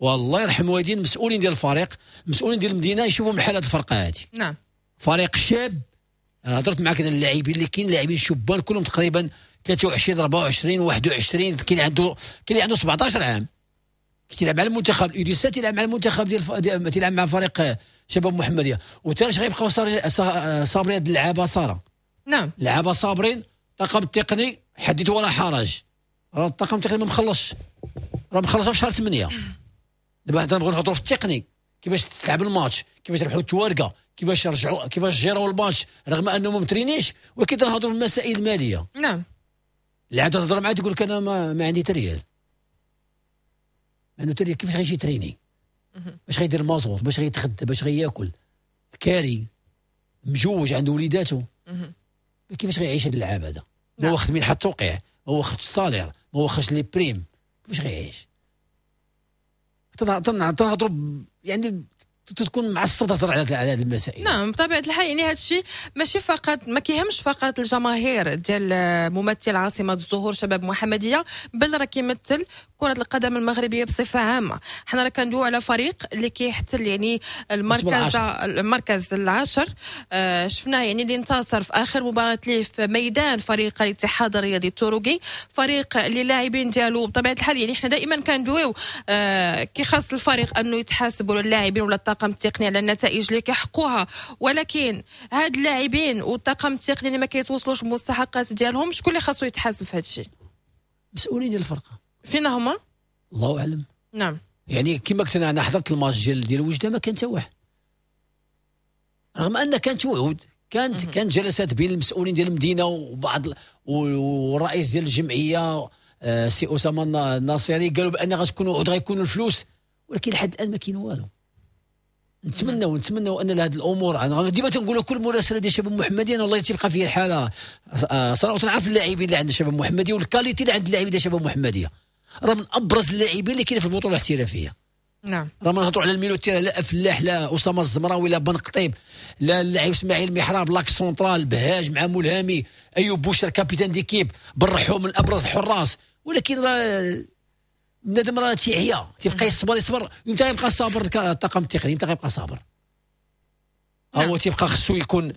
والله يرحم والدين المسؤولين ديال الفريق، المسؤولين ديال المدينة، يشوفوا من حال هذه الفرقة هذه. نعم، فريق شاب، انا هضرت معاك على اللاعبين اللي كاين، لاعبين شبان كلهم تقريبا 23 24 21، كاين عنده، كاين اللي عنده 17 عام كيلعب مع المنتخب ال U17، تيلعب مع المنتخب ديال، تيلعب مع فريق شباب محمديه. وتاش غيبقاو صابرين هاد اللعابه ساره. نعم، لعابه صابرين، الطاقم التقني حدث ولا حرج، راه الطاقم التقني ما مخلصش، راه مخلص في شهر 8. دابا حنا نبغيو نهضروا في التقني، كيفاش تلعب الماتش، كيفاش ربحوا التواركه، كيفاش رجعوا، كيفاش جيروا الماتش رغم انهم ما مترينيش، ولكن تنهضروا في المسائل المالية. نعم، اللاعب تهضر معاه تقول لك انا ما عندي تريال، ما عنده تريال، كيفاش غيجي تريني؟ باش غيدير المازوت، باش غيتغدى، باش غياكل، كاري، مجوج، عنده وليداته، كيفاش غيعيش هذا اللاعب هذا؟ ما واخد منحة التوقيع، ما واخدش ال salaire، ما واخدش les primes، كيفاش غيعيش؟ تنهضروا يعني تكون معصب تهضر على هذه المسائل. نعم بطبيعة الحال، يعني هذا الشيء ماشي فقط، ما كيهمش فقط الجماهير ديال ممثل عاصمة الزهور شباب محمديه، بل راه كيمثل كره القدم المغربية بصفة عامة. حنا راه كندويو على فريق اللي كيحتل يعني المركز العاشر. شفناه يعني اللي انتصر في اخر مباراة ليه في ميدان فريق الاتحاد الرياضي التروقي، فريق اللي اللاعبين ديالو بطبيعة الحال يعني حنا دائما كندويو كي خاص الفريق انه يتحاسب ولا اللاعبين ولا الطاقم التقني على النتائج اللي كيحققوها، ولكن هاد اللاعبين والطاقم التقني اللي ما كيتوصلوش بالمستحقات ديالهم، شكون اللي خاصو يتحاسب في هذا الشيء؟ مسؤولين ديال الفرقة. فين هما؟ الله اعلم. نعم يعني كما قلت انا حضرت الماتش ديال وجده ما كان حتى واحد، رغم ان كانت وعود، كانت جلسات بين المسؤولين ديال المدينة وبعض والرئيس ديال الجمعية سي اسامة الناصري، قالوا بان غتكون وعود، غيكونوا الفلوس، ولكن لحد الان ما كاين والو. نتمنوا ان هذه الامور، انا ديما تنقولوا كل مراسله ديال شباب محمدي انا والله تيبقى فيا الحالة صراحة. تنعرف اللاعبين اللي عند شباب محمدي وال qualité اللي عند اللاعبين ديال شباب محمديه، راه من ابرز اللاعبين اللي كاين في البطولة الاحترافية. نعم راه ما نهضروا على ال milieu terrain، لا فلاح لا اسامة الزمراوي لا بن قطيب لا اللاعب اسماعيل محراب l'axe central بهاج مع ملهمي، ايوب بوشر capitaine d'équipe، بالرحو من ابرز الحراس. ولكن راه بنادم راه تيعيا، تيبقى يصبر امتى يبقى صابر الطاقم التقني، امتى غيبقى صابر؟ هو تيبقى خصو يكون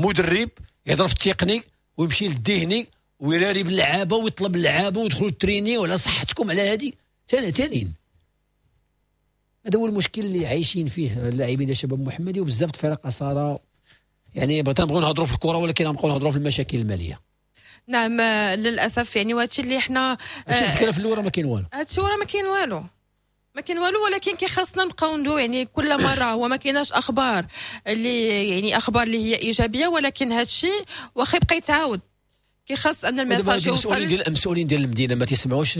مدرب يهضر في التقني ويمشي للذهني ويراري باللعابه ويطلب اللعابه ويدخلوا التريني وعلى صحتكم على هذه ثانيين. هذا هو المشكل اللي عايشين فيه اللاعبين ديال شباب محمدي وبزاف الفرق صار. يعني بغينا نبغيو نهضروا في الكره ولكن نبقاو نهضروا في المشاكل المالية. نعم للاسف، يعني وهادشي اللي حنا هادشي في الاول ما كاين والو، هادشي وراه ما كاين والو، ما كاين والو، ولكن كي خاصنا نبقاو ندوي يعني كل مرة. هو ما كايناش اخبار اللي يعني اخبار اللي هي ايجابية، ولكن هادشي واخا يبقى يتعاود كي خاص ان ال message يوصل. المسؤولين ديال المدينة ما تيسمعوش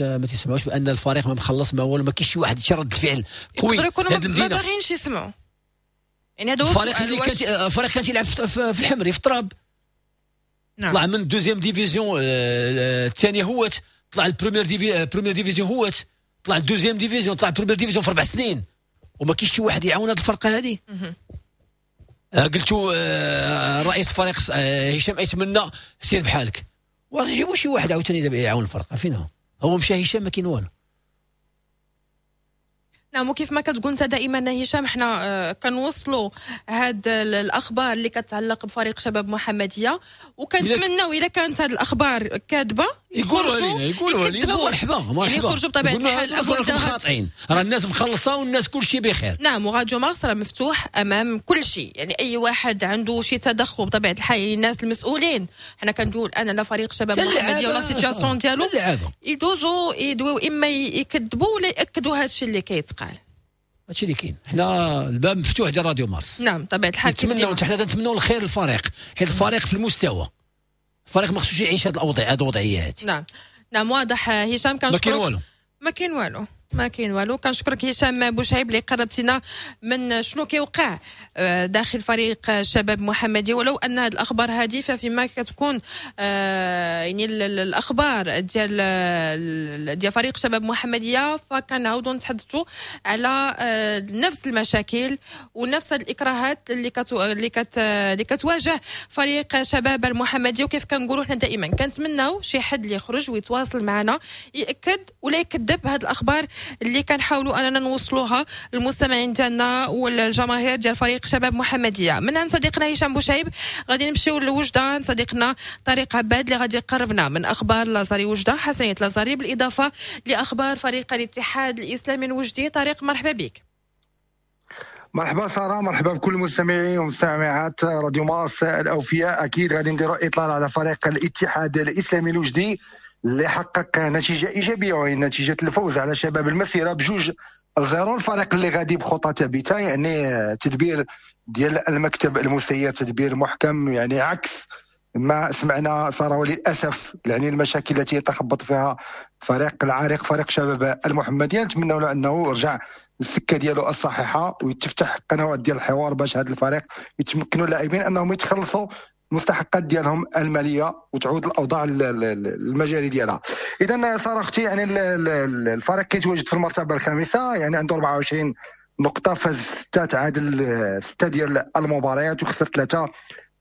بان الفريق ما مخلص ما والو، ما كاينش شي واحد شي رد الفعل قوي. هاد المدينة ما باغينش يسمعوا، يعني هذا هو الفريق اللي كان الفريق كان تيلعب في الحمري في التراب. نعم. طلع من deuxième division الثانية هوت، طلع ال première division هوت، طلع ال deuxième division، طلع ال première division في 4 سنين، وما كاينش شي واحد يعاون هذه الفرقة هذه. قلتوا رئيس الفريق هشام ايتمنى سير بحالك، وجيبوا شي واحد عاوتاني دابا يعاون الفرقة. فين هو؟ هو مشى هشام ما كاين والو. نعم وكيف ما كتقول انت دائما هشام، حنا كنوصلوا هاد الاخبار اللي كتعلق بفريق شباب محمديه، وكنتمناو الا كانت هاد الاخبار كاذبة يقولوا علينا مرحبا مرحبا، يخرجوا بطبيعة الحال خاطئين، راه الناس مخلصة والناس كلشي بخير. نعم وراديو مارس راه مفتوح امام كل شيء، يعني اي واحد عنده شي تدخل بطبيعة الحال، يعني الناس المسؤولين، حنا كندويو الان على فريق شباب محمديه ولا situation ديالو، يدوزوا يدويو اما يكذبوا ولا ياكدوا هادشي اللي كيتقال. هادشي اللي كاين، حنا الباب مفتوح ديال راديو مارس. نعم طبيعة الحال نتمنوا، حنا تنتمنوا الخير للفريق، حيت الفريق في المستوى، الفريق ما خصوش يعيش هاد الاوضاع، هاد الوضعيات. نعم نعم واضح هشام، كنشكرك. ما كاين والو ما كاين والو. كنشكرك هشام بوشعيب اللي قربتينا من شنو كيوقع داخل فريق شباب محمدي، ولو ان هذه الاخبار هذه فيما كتكون يعني الاخبار ديال فريق شباب محمديه، فكنعاودوا نتحدثوا على نفس المشاكل ونفس الاكراهات اللي كتواجه فريق شباب المحمدي. وكيف كنقولوا حنا دائما كنتمناو شي حد اللي يخرج ويتواصل معنا ياكد ولا يكذب هذه الاخبار اللي كنحاولوا اننا نوصلوها للمستمعين ديالنا والجماهير ديال فريق شباب محمديه. من عند صديقنا هشام بوشعيب غادي نمشيو لوجده عند صديقنا طارق عباد اللي غادي يقربنا من اخبار لازاري وجده، حسنيه لازاري، بالاضافة لاخبار فريق الاتحاد الاسلامي الوجدي. طارق مرحبا بك. مرحبا ساره، مرحبا بكل المستمعين ومستمعات راديو مارس الاوفياء. اكيد غادي نديروا اطلال على فريق الاتحاد الاسلامي الوجدي اللي حقق نتيجة ايجابية وهي نتيجة الفوز على شباب المسيرة ب2-0. الفريق اللي غادي بخطى ثابتة، يعني تدبير ديال المكتب المسير تدبير محكم، يعني عكس ما سمعنا ساره وللاسف يعني المشاكل التي يتخبط فيها فريق العريق فريق شباب المحمدية. نتمنوا له انه يرجع السكة ديالو الصحيحة ويتفتح قنوات ديال الحوار باش هذا الفريق يتمكنوا اللاعبين انهم يتخلصوا المستحقات ديالهم المالية وتعود الاوضاع المجاري ديالها. اذا ساره اختي، يعني الفريق كيتواجد في المرتبة الخامسة، يعني عنده 24 نقطة، فاز 6، تعادل 6 ديال المباريات وخسر 3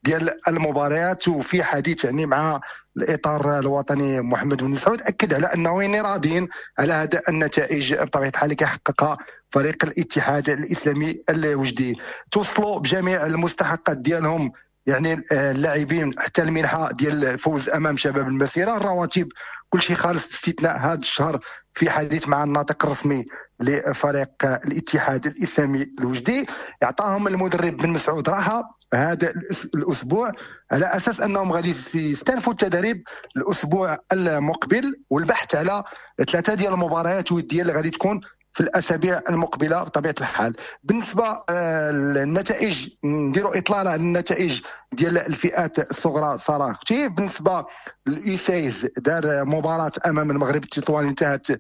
ديال المباريات. وفي حديث يعني مع الاطار الوطني محمد بن مسعود اكد على انه يعني راضيين على هذا النتائج بطبيعة الحال اللي كيحققها فريق الاتحاد الاسلامي الوجدي. توصلوا بجميع المستحقات ديالهم يعني اللاعبين حتى المنحة ديال الفوز امام شباب المسيرة، الرواتب كل شيء خالص باستثناء هذا الشهر. في حديث مع الناطق الرسمي لفريق الاتحاد الاسلامي الوجدي اعطاهم المدرب بن مسعود راحة هذا الاسبوع على اساس انهم غادي يستأنفوا التدريب الاسبوع المقبل والبحث على 3 ديال المباريات وديه اللي غادي تكون في الاسابيع المقبلة بطبيعة الحال. بالنسبة للنتائج نديروا اطلالة على النتائج ديال الفئات الصغرى صراحة اختي. بالنسبة لل U seize دار مباراة امام المغرب التطواني انتهت 0-0.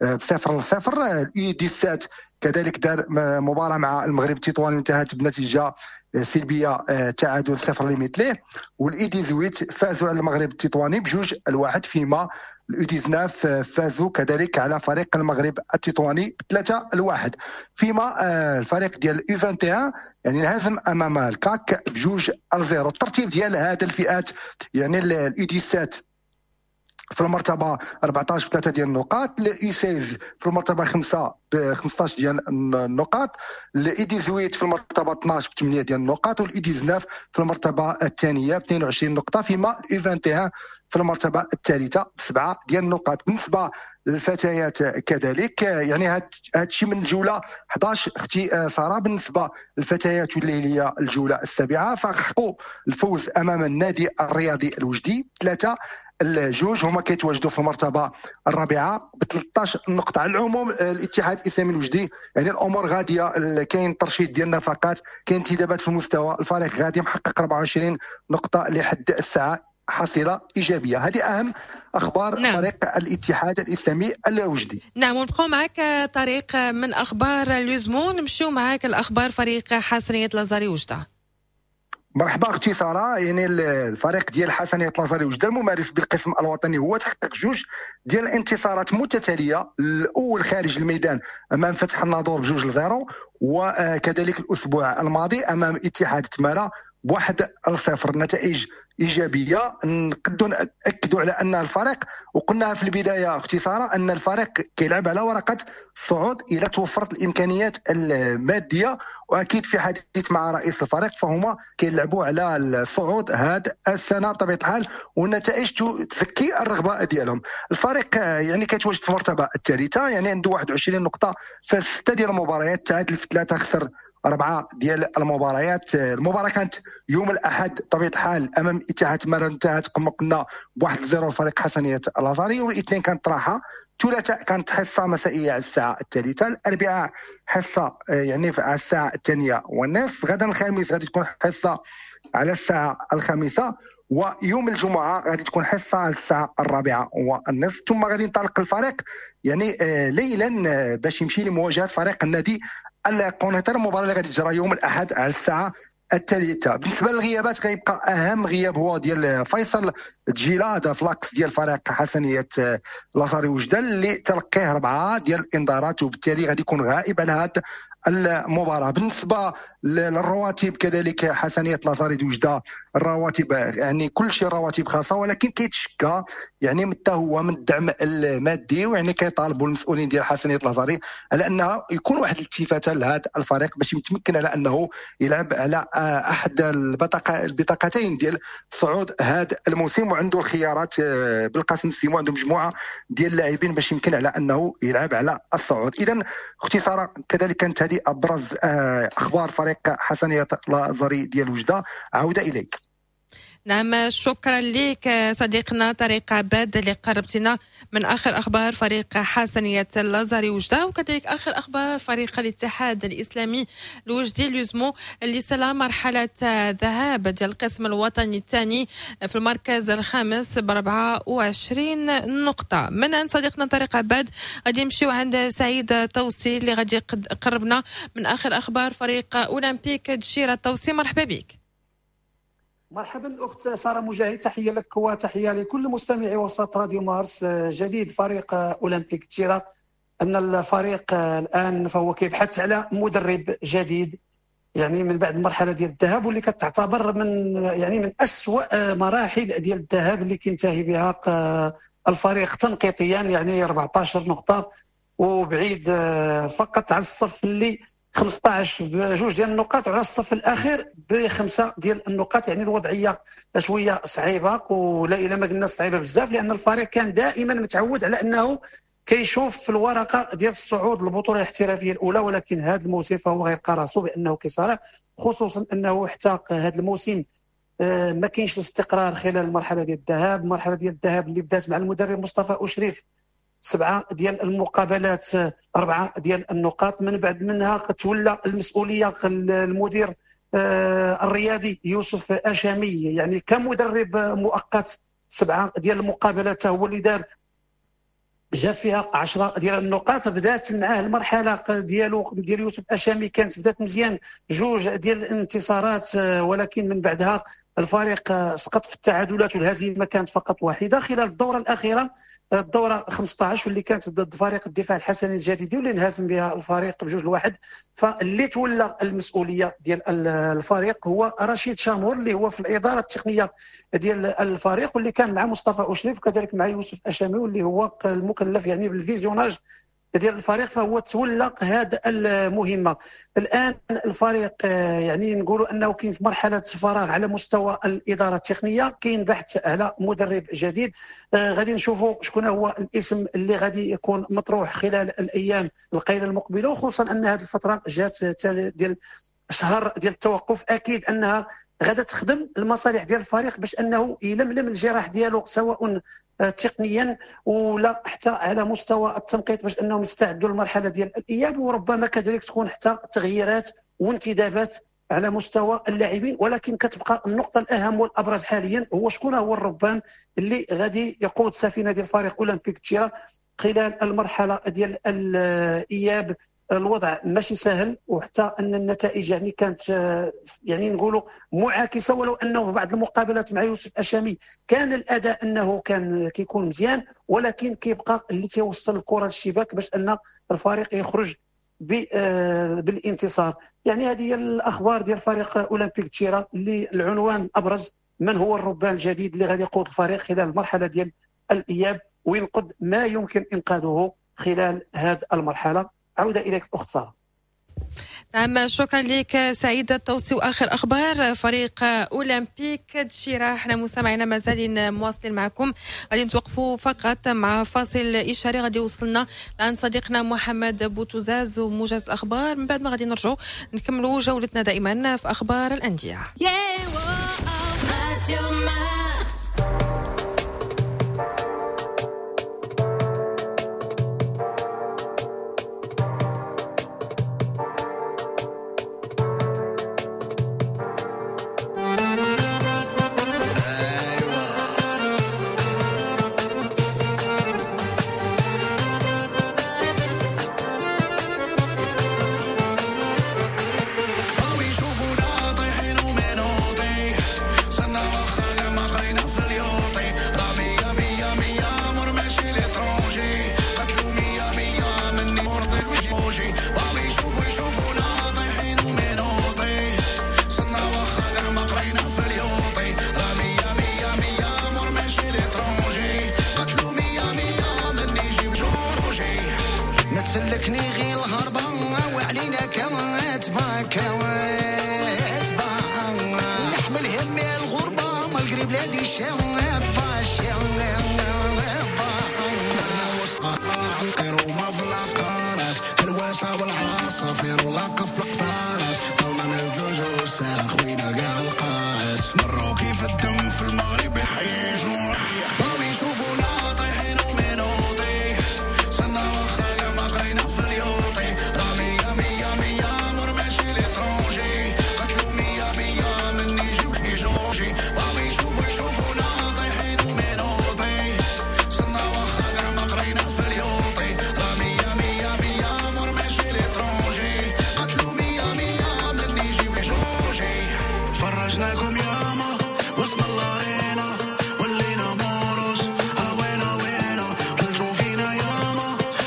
ال U 17 كذلك دار مباراة مع المغرب التطواني انتهت بنتيجة سلبية تعادل 0 لمثله. وال U 18 فازوا على المغرب التطواني 2-1، فيما ال U 19 فازوا كذلك على فريق المغرب التطواني 3-1. فيما الفريق ديال U 21 يعني انهزم امام الكاك 2-0. الترتيب ديال هذه الفئات يعني ال U 17 في المرتبة 14 ب3 ديال النقاط، ال U 16 في المرتبة 5 ب 15 ديال النقاط، ال U 18 في المرتبة 12 ب 8 ديال النقاط، وال U 19 في المرتبة الثانية ب 22 نقطة، فيما ال U 21 في المرتبة الثالثة ب7 ديال النقاط. بالنسبة للفتيات كذلك يعني هذا الشيء من الجولة 11 اختي ساره. بالنسبة للفتيات واللي هي الجولة السابعة فحققوا الفوز امام النادي الرياضي الوجدي 3-2، هما كيتواجدوا في المرتبة الرابعة ب 13 نقطة. على العموم الاتحاد الاسلامي الوجدي يعني الامور غادية، كاين ترشيد ديال النفقات، كاين انتدابات في المستوى، الفريق غادي محقق 24 نقطة لحد الساعة، حصيله ايجابية. هذه اهم اخبار. نعم. فريق الاتحاد الاسلامي الوجدي. نعم، ونبقاو معك طريق من اخبار l'USMO، نمشيو معك الاخبار فريق حسنيه لازاري وجده. مرحبا اختي ساره. يعني الفريق ديال حسنيه لازاري وجده الممارس بالقسم الوطني هو تحقق 2 ديال الانتصارات متتالية، الاول خارج الميدان امام فتح الناظور 2-0، وكذلك الاسبوع الماضي امام اتحاد تمارا 1-0. نتائج ايجابية نقدروا ناكدوا على ان الفريق، وقلناها في البداية اختي ساره، ان الفريق كيلعب على ورقة الصعود الى توفرت الامكانيات المادية، واكيد في حديث مع رئيس الفريق فهما كيلعبوا على الصعود هذا السنة بطبيعة الحال، والنتائج تزكي الرغبة ديالهم. الفريق يعني كيتواجد في المرتبة الثالثة، يعني عنده 21 نقطة في 6 ديال المباريات، تعادل في 3، خسر 4 ديال المباريات. المباراة كانت يوم الاحد بطبيعة الحال امام اتحاد تمارا انتهت كما قلنا 1-0 لفريق حسنيه لازاري، والاثنين كانت راحة. الثلاثاء كانت حصة مسائية على الساعة 3، الاربعاء حصة يعني على الساعة 2:30، غدا الخميس غادي تكون حصة على الساعة 5، ويوم الجمعة غادي تكون حصة على الساعة 4:30. ثم غادي ينطلق الفريق يعني ليلا باش يمشي لمواجهة فريق النادي القنيطرة، المباراة اللي غادي تجرى يوم الاحد على الساعة 3. بالنسبة للغيابات غيبقى اهم غياب هو ديال فيصل تجيلا، هذا ف l'axe ديال فريق حسنيه لازاري وجده اللي تلقيه 4 ديال الانذارات، وبالتالي غادي يكون غائب على هذه المباراة. بالنسبة للرواتب كذلك حسنيه لازاري وجده الرواتب يعني كل شيء رواتب خاصة، ولكن كيتشكى يعني حتى هو من الدعم المادي، ويعني كيطالبوا المسؤولين ديال حسنيه لازاري على انه يكون واحد الالتفاته لهذا الفريق باش يتمكن على انه يلعب على احد البطاقتين ديال صعود هذا الموسم، وعنده الخيارات بالقاسم السيمو، عنده مجموعة ديال اللاعبين باش يمكن على انه يلعب على الصعود. اذا اختي ساره كذلك كانت هذه ابرز اخبار فريق حسنيه لازاري ديال وجده. عوده اليك. نعم، شكرا لك صديقنا طارق عباد اللي قربتنا من آخر أخبار فريق حسنية لازاري وجدة، وكذلك آخر أخبار فريق الاتحاد الإسلامي الوجدي l'USMO اللي سلا مرحلة ذهاب ديال القسم الوطني الثاني في المركز الخامس ب 24 نقطة. من عند صديقنا طارق عباد غادي نمشيو عند سعيد توصي اللي غادي يقربنا من آخر أخبار فريق أولمبيك دشيرة. توصي، مرحبا بك. مرحبا الاخت ساره مجاهد، تحية لك وتحية لكل مستمعي وسط راديو مارس. جديد فريق اولمبيك دشيرة ان الفريق الان فهو كيبحث على مدرب جديد، يعني من بعد المرحلة ديال الذهاب واللي كتعتبر من يعني من اسوء مراحل ديال الذهاب اللي كينتهي بها الفريق تنقيطيا، يعني 14 نقطة وبعيد فقط على الصف اللي 15 بجوج ديال النقاط، وعلى الصف الاخير بخمسة ديال النقاط. يعني الوضعية شوية صعيبة، ولا الى ما قلنا صعيبة بزاف، لان الفريق كان دائما متعود على انه كيشوف في الورقة ديال الصعود للبطولة الاحترافية الاولى، ولكن هذا الموسم فهو غيلقى راسو بانه كيصارع، خصوصا انه حتى هذا الموسم ما كاينش الاستقرار خلال المرحلة ديال الذهاب. المرحلة ديال الذهاب اللي بدات مع المدرب مصطفى أشريف 7 ديال المقابلات 4 ديال النقاط، من بعد منها تولى المسؤولية المدير الرياضي يوسف أشامي يعني كمدرب مؤقت، 7 ديال المقابلات هو اللي دار جا فيها 10 ديال النقاط. بدات معاه المرحلة ديالو ديال يوسف أشامي كانت بدات مزيان، 2 ديال الانتصارات، ولكن من بعدها الفريق سقط في التعادلات والهزيمة كانت فقط واحدة خلال الدورة الاخيرة، الدورة 15 واللي كانت ضد فريق الدفاع الحسني الجديدي واللي انهزم بها الفريق ب2-1. فاللي تولى المسؤولية ديال الفريق هو رشيد شامور اللي هو في الادارة التقنية ديال الفريق، واللي كان مع مصطفى أشريف وكذلك مع يوسف أشامي واللي هو المكلف يعني بال visionnage ديال الفريق، فهو تولى هذا المهمة. الان الفريق يعني نقولوا انه كاين في مرحلة فراغ على مستوى الادارة التقنية، كاين بحث على مدرب جديد، غادي نشوفوا شكون هو الاسم اللي غادي يكون مطروح خلال الايام القليلة المقبلة، وخصوصا ان هذه الفترة جات ديال شهر ديال التوقف، اكيد انها غادا تخدم المصالح ديال الفريق باش انه يلملم الجراح ديالو سواء تقنيا ولا حتى على مستوى التنقيط باش انهم يستعدوا للمرحلة ديال الاياب، وربما كذلك تكون حتى تغييرات وانتدابات على مستوى اللاعبين. ولكن كتبقى النقطة الاهم والابرز حاليا هو شكون هو الربان اللي غادي يقود سفينة ديال فريق اولمبيك تشيرا خلال المرحلة ديال الاياب. الوضع ماشي سهل، وحتى ان النتائج يعني كانت يعني نقولوا معاكسة، ولو انه في بعض المقابلات مع يوسف أشامي كان الاداء انه كان كيكون مزيان، ولكن كيبقى اللي تيوصل الكره للشباك باش ان الفريق يخرج بالانتصار. يعني هذه هي الاخبار ديال فريق اولمبيك تشيرا اللي العنوان الابرز من هو الربان الجديد اللي غادي يقود الفريق خلال المرحلة ديال الاياب وينقذ ما يمكن انقاذه خلال هذه المرحلة. عودة إليك أخت سارة. نعم، شكرا لك سعيد التوصي. وآخر أخبار فريق أولمبيك دشيرة، احنا مستمعينا مازالين مواصلين معكم، غادي نتوقفوا فقط مع فاصل إشاري غادي يوصلنا لعند صديقنا محمد بوتوزاز وموجز الأخبار، من بعد ما غادي نرجعوا نكملوا جولتنا دائما في أخبار الأندية.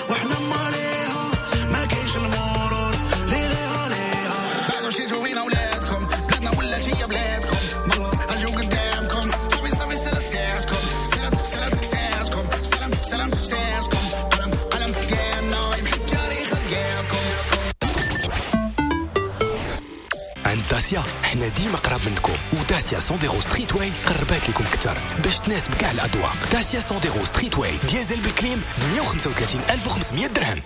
وإحنا مالينا. داسيا حنا ديما قراب منكم، وداسيا Sandero Streetway قربات لكم اكثر باش تناسب كاع الاذواق. داسيا Sandero Streetway diesel بال clim 135500 درهم.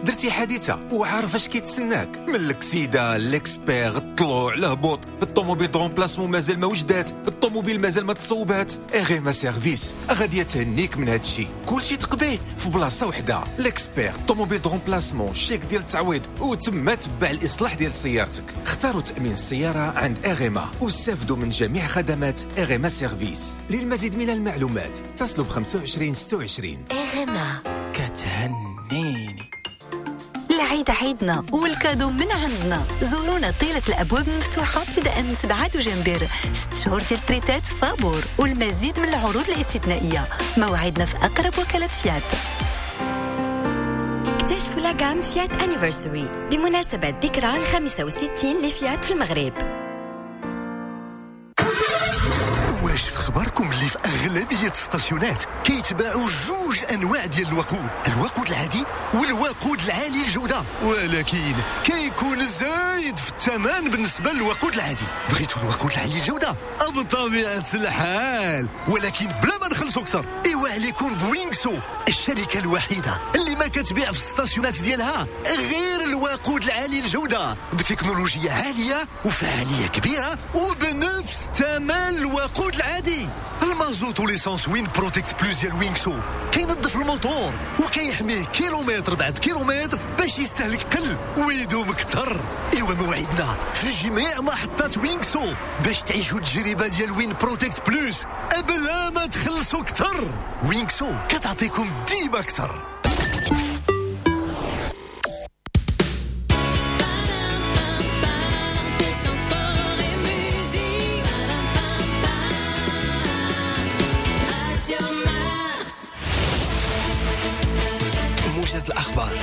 درتي حادثه وعارف اش كيتسناك من الكسيده، l'expert، الطلوع، الهبوط، الطوموبيل de remplacement مازال ما وجدات، الطوموبيل مازال ما تصوبات. RMA Service غادي تهنيك من هادشي، كلشي تقضيه في بلاصة وحده. l'expert، الطوموبيل de remplacement، الشيك ديال التعويض، وتما تبع الاصلاح ديال سيارتك. اختاروا تامين السيارة عند RMA واستافدوا من جميع خدمات RMA Service. للمزيد من المعلومات اتصلوا ب 25 26. RMA كتهنيني. العيد عيدنا وال cadeau من عندنا. زورونا طيلة الأبواب مفتوحة ابتداء من 7 دجنبر، 6 شهور ديال تريتات فابور والمزيد من العروض الاستثنائية. موعدنا في أقرب وكالة فيات. اكتشفوا la gamme فيات Anniversary بمناسبة ذكرى 65 لفيات في المغرب. واش في خبركم اللي في اغلبية الستاسيونات كيتباعوا جوج انواع ديال الوقود، الوقود العادي والوقود العالي الجودة، ولكن كيكون زايد في الثمن بالنسبة للوقود العادي. بغيتوا الوقود العالي الجودة بطبيعة الحال، ولكن بلا ما نخلصوا اكثر. ايوا عليكم بوينكسو، الشركة الوحيدة اللي ما كتبيع في الستاسيونات ديالها غير الوقود العالي الجودة بتكنولوجيا عالية وفعاليه كبيرة وبنفس ثمن الوقود العادي. المازوت و l'essence Win Protect Plus ديال وينكسو كينظف الموتور وكيحميه كيلومتر بعد كيلومتر باش يستهلك قل ويدوم اكثر. ايوا موعدنا في جميع محطات وينكسو باش تعيشوا التجربة ديال Win Protect Plus بلا ما تخلصوا اكثر. وينكسو كتعطيكم ديما اكثر. موجز الأخبار.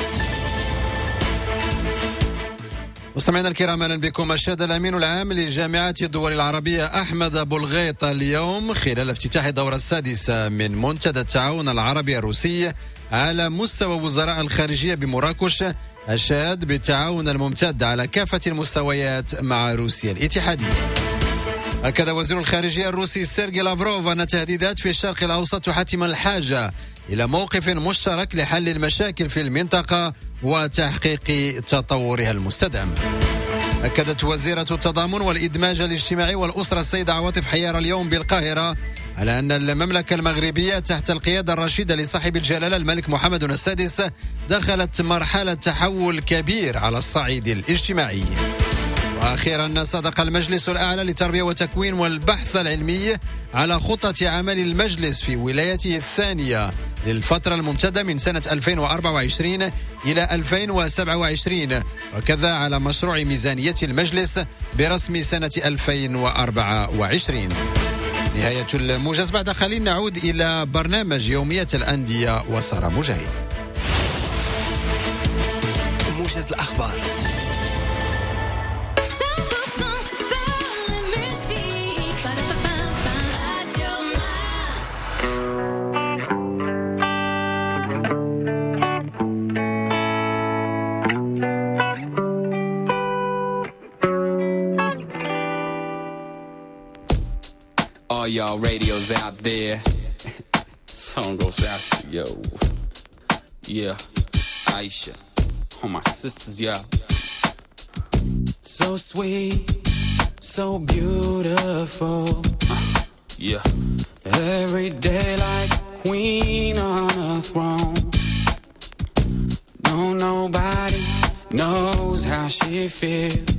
مستمعينا الكرام، اهلا بكم. أشاد الامين العام لجامعة الدول العربية احمد ابو الغيط اليوم خلال افتتاح الدورة السادسة من منتدى التعاون العربي الروسي على مستوى وزراء الخارجية بمراكش، اشاد بالتعاون الممتد على كافة المستويات مع روسيا الاتحادية. أكد وزير الخارجية الروسي سيرجي لافروف أن تهديدات في الشرق الأوسط تحتم الحاجة إلى موقف مشترك لحل المشاكل في المنطقة وتحقيق تطورها المستدام. أكدت وزيرة التضامن والإدماج الاجتماعي والأسرة السيدة عواطف حيار اليوم بالقاهرة على أن المملكة المغربية تحت القيادة الرشيدة لصاحب الجلالة الملك محمد السادس دخلت مرحلة تحول كبير على الصعيد الاجتماعي. وأخيرا، صادق المجلس الأعلى للتربية والتكوين والبحث العلمي على خطة عمل المجلس في ولايته الثانية للفترة الممتدة من سنة 2024 إلى 2027، وكذا على مشروع ميزانية المجلس برسم سنة 2024. نهاية الموجز، بعد قليل نعود إلى برنامج يومية الأندية وسارة مجاهد. موجز الأخبار. All y'all radios out there, song goes out to yo. Yeah, Aisha, all my sisters, yeah. So sweet, so beautiful. Yeah. Every day like a queen on a throne. No, nobody knows how she feels.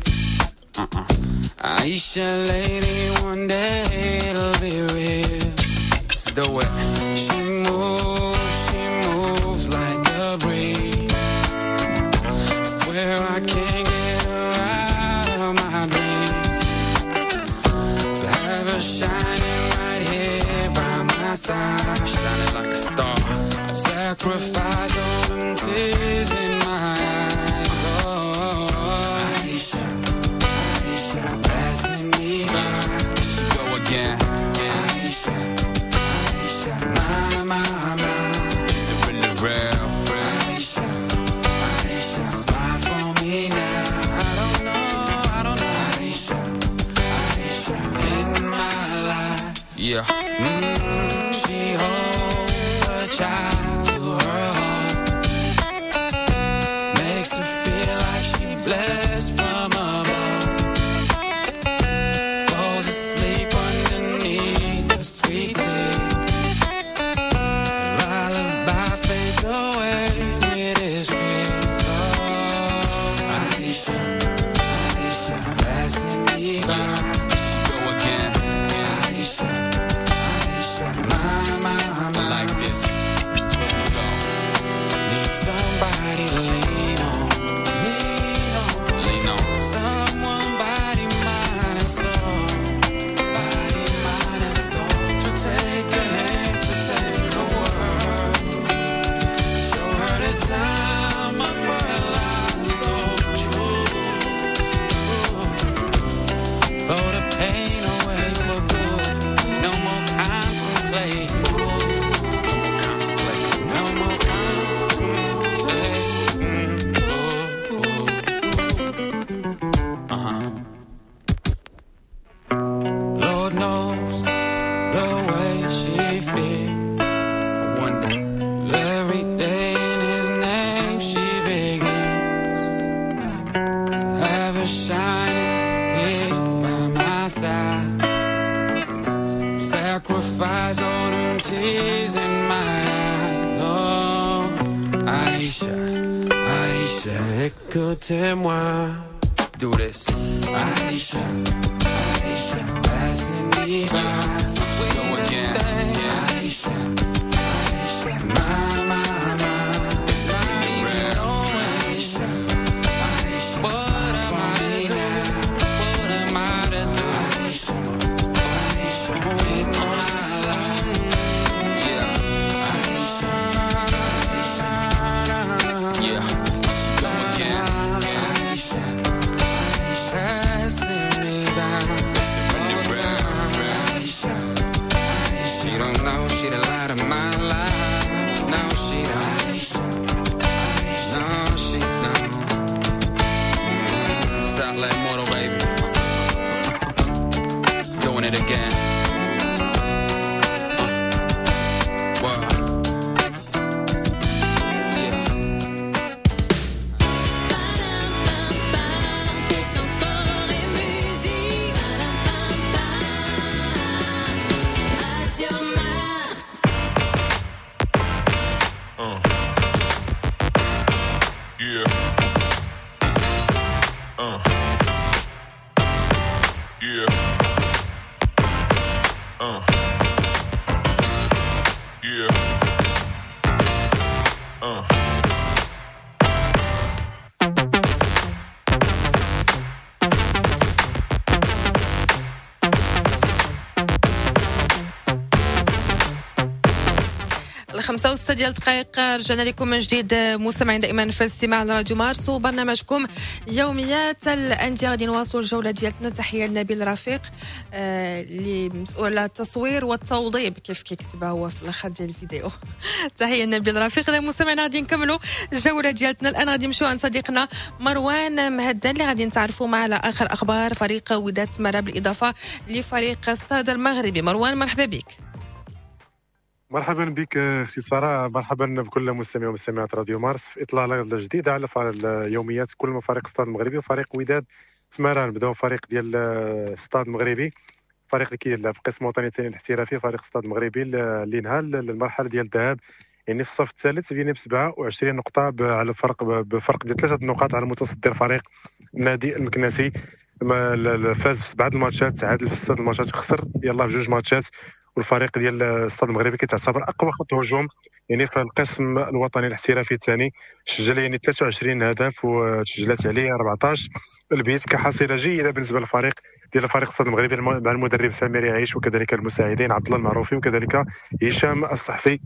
Aisha, lady, one day it'll be real. Let's do it. She moves like a breeze. I swear I can't get her out of my dreams. So have her shining right here by my side, shining like a star. I'd sacrifice all them tears in my eyes. Oh, Aisha, Aisha, passing me by. She go again. Aisha, Aisha, my, my, my. Is it really real? Aisha, Aisha, smile for me Yeah. She holds her child to her heart, makes her feel like she blessed from above. Falls asleep underneath the sweet tea. Lullaby fades away with his fears. Oh, Aisha, Aisha, passing me by. She go again. Aisha, Aisha, my, my, my. Like this. Here we go. Need somebody to lean on, lean on, lean on. Someone body, mind, and soul, body, mind, and soul. To take a hand, to take a word. Show her the time of her life, so true, true. Throw the pain away for good. No more contemplate. No more contemplate. Ooh, ooh. Uh-huh. Lord knows the way she feels. I wonder every day in his name she begins to have her shining here by my side. Sacrifice all them tears in my eyes. Oh, Aisha, Aisha, Écoutez-moi. Let's do this. Aisha, Aisha, passing me by. Go again. Aisha, Aisha, my, my, my. It's not even knowing. Aisha, Aisha, what am I to do? What am I to do? Aisha, Aisha, in my life. Yeah. Aisha, Aisha, yeah. She go again. Aisha, Aisha, passing me by. Aisha, she don't know she the light of my life. No, she don't. No, she don't. Sound like mortal, baby. Doing it again. Wow. Yeah. Sport et musique. Radio Mars. Yeah. Yeah. Yeah. 5:06 ديال الدقائق، رجعنا لكم من جديد مستمعين دائما في الاستماع لراديو مارس وبرنامجكم يوميات الاندية. غادي نواصلوا الجولة ديالتنا. تحية لنبيل رفيق اللي مسؤول على التصوير والتوضيب كيف كيكتبها هو في الاخر ديال الفيديو. تحية لنبيل رفيق. اذا مستمعينا غادي نكملوا الجولة ديالتنا الان، غادي نمشيو عند صديقنا مروان مهدان اللي غادي نتعرفوا معه على اخر اخبار فريق وداد تمارة بالاضافة لفريق ستاد المغربي. مروان مرحبا بك. مرحبا بك اختي ساره، مرحبا بكل مستمعي ومستمعات راديو مارس في اطلالة جديدة على اليوميات كل فريق ستاد المغربي وفريق وداد تمارة. نبداو فريق ديال ستاد المغربي، فريق اللي كيلعب في القسم الوطني الثاني الاحترافي، فريق ستاد المغربي اللي نهى المرحلة ديال الذهاب يعني في الصف الثالث بين ب 27 نقطة على الفرق بفرق ديال 3 نقاط على المتصدر فريق النادي المكناسي. فاز في 7 الماتشات، تعادل في 6 الماتشات، خسر يلاه في 2 ماتشات. والفريق ديال الستاد المغربي كيتعتبر اقوى خط هجوم يعني في القسم الوطني الاحترافي الثاني، سجل يعني 23 هدف وتسجلت عليه 14 البيت كحصيله جيدة بالنسبة للفريق ديال فريق الستاد المغربي مع المدرب سمير يعيش وكذلك المساعدين عبد الله المعروفي وكذلك هشام الصحفي.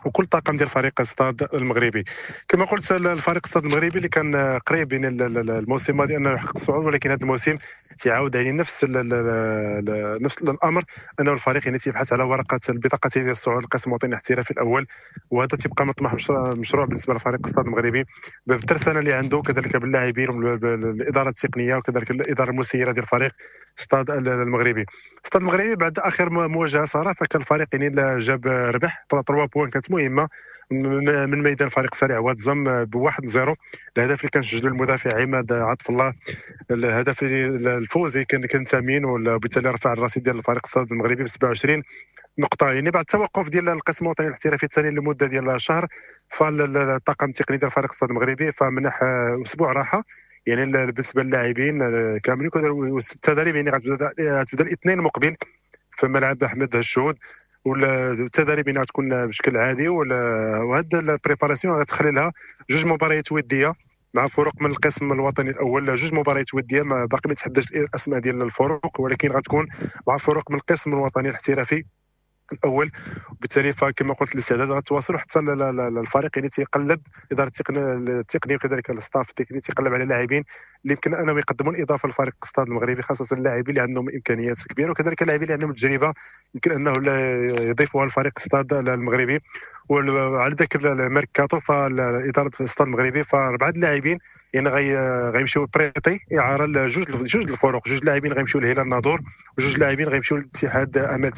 وكل طاقم ديال فريق الستاد المغربي. كما قلت الفريق الستاد المغربي اللي كان قريب يعني الموسم الماضي انه يحقق الصعود، ولكن هذا الموسم تعاود يعني نفس الامر، انه الفريق يعني تيبحث على ورقة البطاقة ديال الصعود للقسم الوطني الاحترافي الاول، وهذا تيبقى مطمح مشروع بالنسبة لفريق الستاد المغربي بالترسانه اللي عنده، كذلك باللاعبين والادارة التقنية وكذلك الادارة المسيرة ديال فريق الستاد المغربي. الستاد المغربي بعد اخر مواجهة صراحة فكان الفريق يعني جاب ربح 3 points كانت مهمة من ميدان فريق سريع واد زم ب1-0. الهدف اللي كان سجله المدافع عماد عطف الله، الهدف الفوزي كان ثمين، وبالتالي رفع الرصيد ديال الفريق الستاد المغربي ب 27 نقطة. يعني بعد التوقف ديال القسم الوطني الاحترافي الثاني لمدة ديال شهر، فالطاقم التقني ديال فريق الستاد المغربي فمنح اسبوع راحة يعني بالنسبة للاعبين كاملين، والتدريب يعني غتبدا الاثنين المقبل في ملعب احمد الشهود، والتدريب يعني غتكون بشكل عادي، وهاد ال préparation غتخلي لها جوج مباريات وديه مع فرق من القسم الوطني الاول، جوج مباريات وديه ما باقي ما تحددش الاسماء ديال الفرق، ولكن غتكون مع فرق من القسم الوطني الاحترافي الاول. وبالتالي فكما قلت الاستعداد غتواصل حتى الفريق يعني تيقلب ادارة التقنية وكذلك ال staff التقني تيقلب على لاعبين اللي يمكن انهم يقدمون اضافه لفريق الستاد المغربي، خاصة اللاعبين اللي عندهم امكانيات كبيرة وكذلك اللاعبين اللي عندهم تجربه يمكن انه يضيفوها لفريق الستاد المغربي. وعلى ذكر الميركاتو فالاداره الستاد المغربي فاربعه اللاعبين يعني غيمشيو prêtés اعاره لجوج الفرق، جوج لاعبين غيمشيو لهلال الناظور وجوج لاعبين غيمشيو لاتحاد امل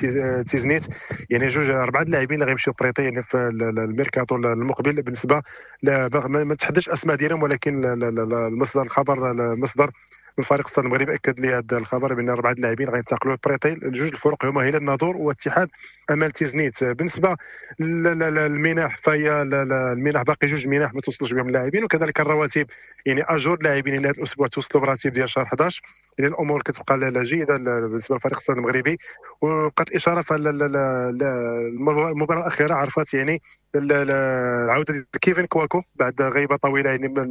تيزنيت، يعني جوج اربعة اللاعبين اللي غيمشيو prêtés يعني في الميركاتو المقبل. بالنسبة ما تحددش اسماء ديالهم، ولكن المصدر الخبر المصدر من فريق الستاد المغربي اكد لي هذا الخبر بان اربعة اللاعبين غينتقلوا prêtés لجوج الفرق هما هلال الناظور واتحاد امل تيزنيت. بالنسبة للمنح فهي المنح باقي جوج منح ما توصلوش بهم اللاعبين، وكذلك الرواتب يعني اجور اللاعبين هذا الاسبوع توصلوا براتب ديال شهر 11، يعني الامور كتبقى جيدة بالنسبة لفريق الستاد المغربي. وبقات الاشارة فالمباراه الاخيرة عرفت يعني العودة ديال كيفن كواكو بعد غيبه طويلة يعني من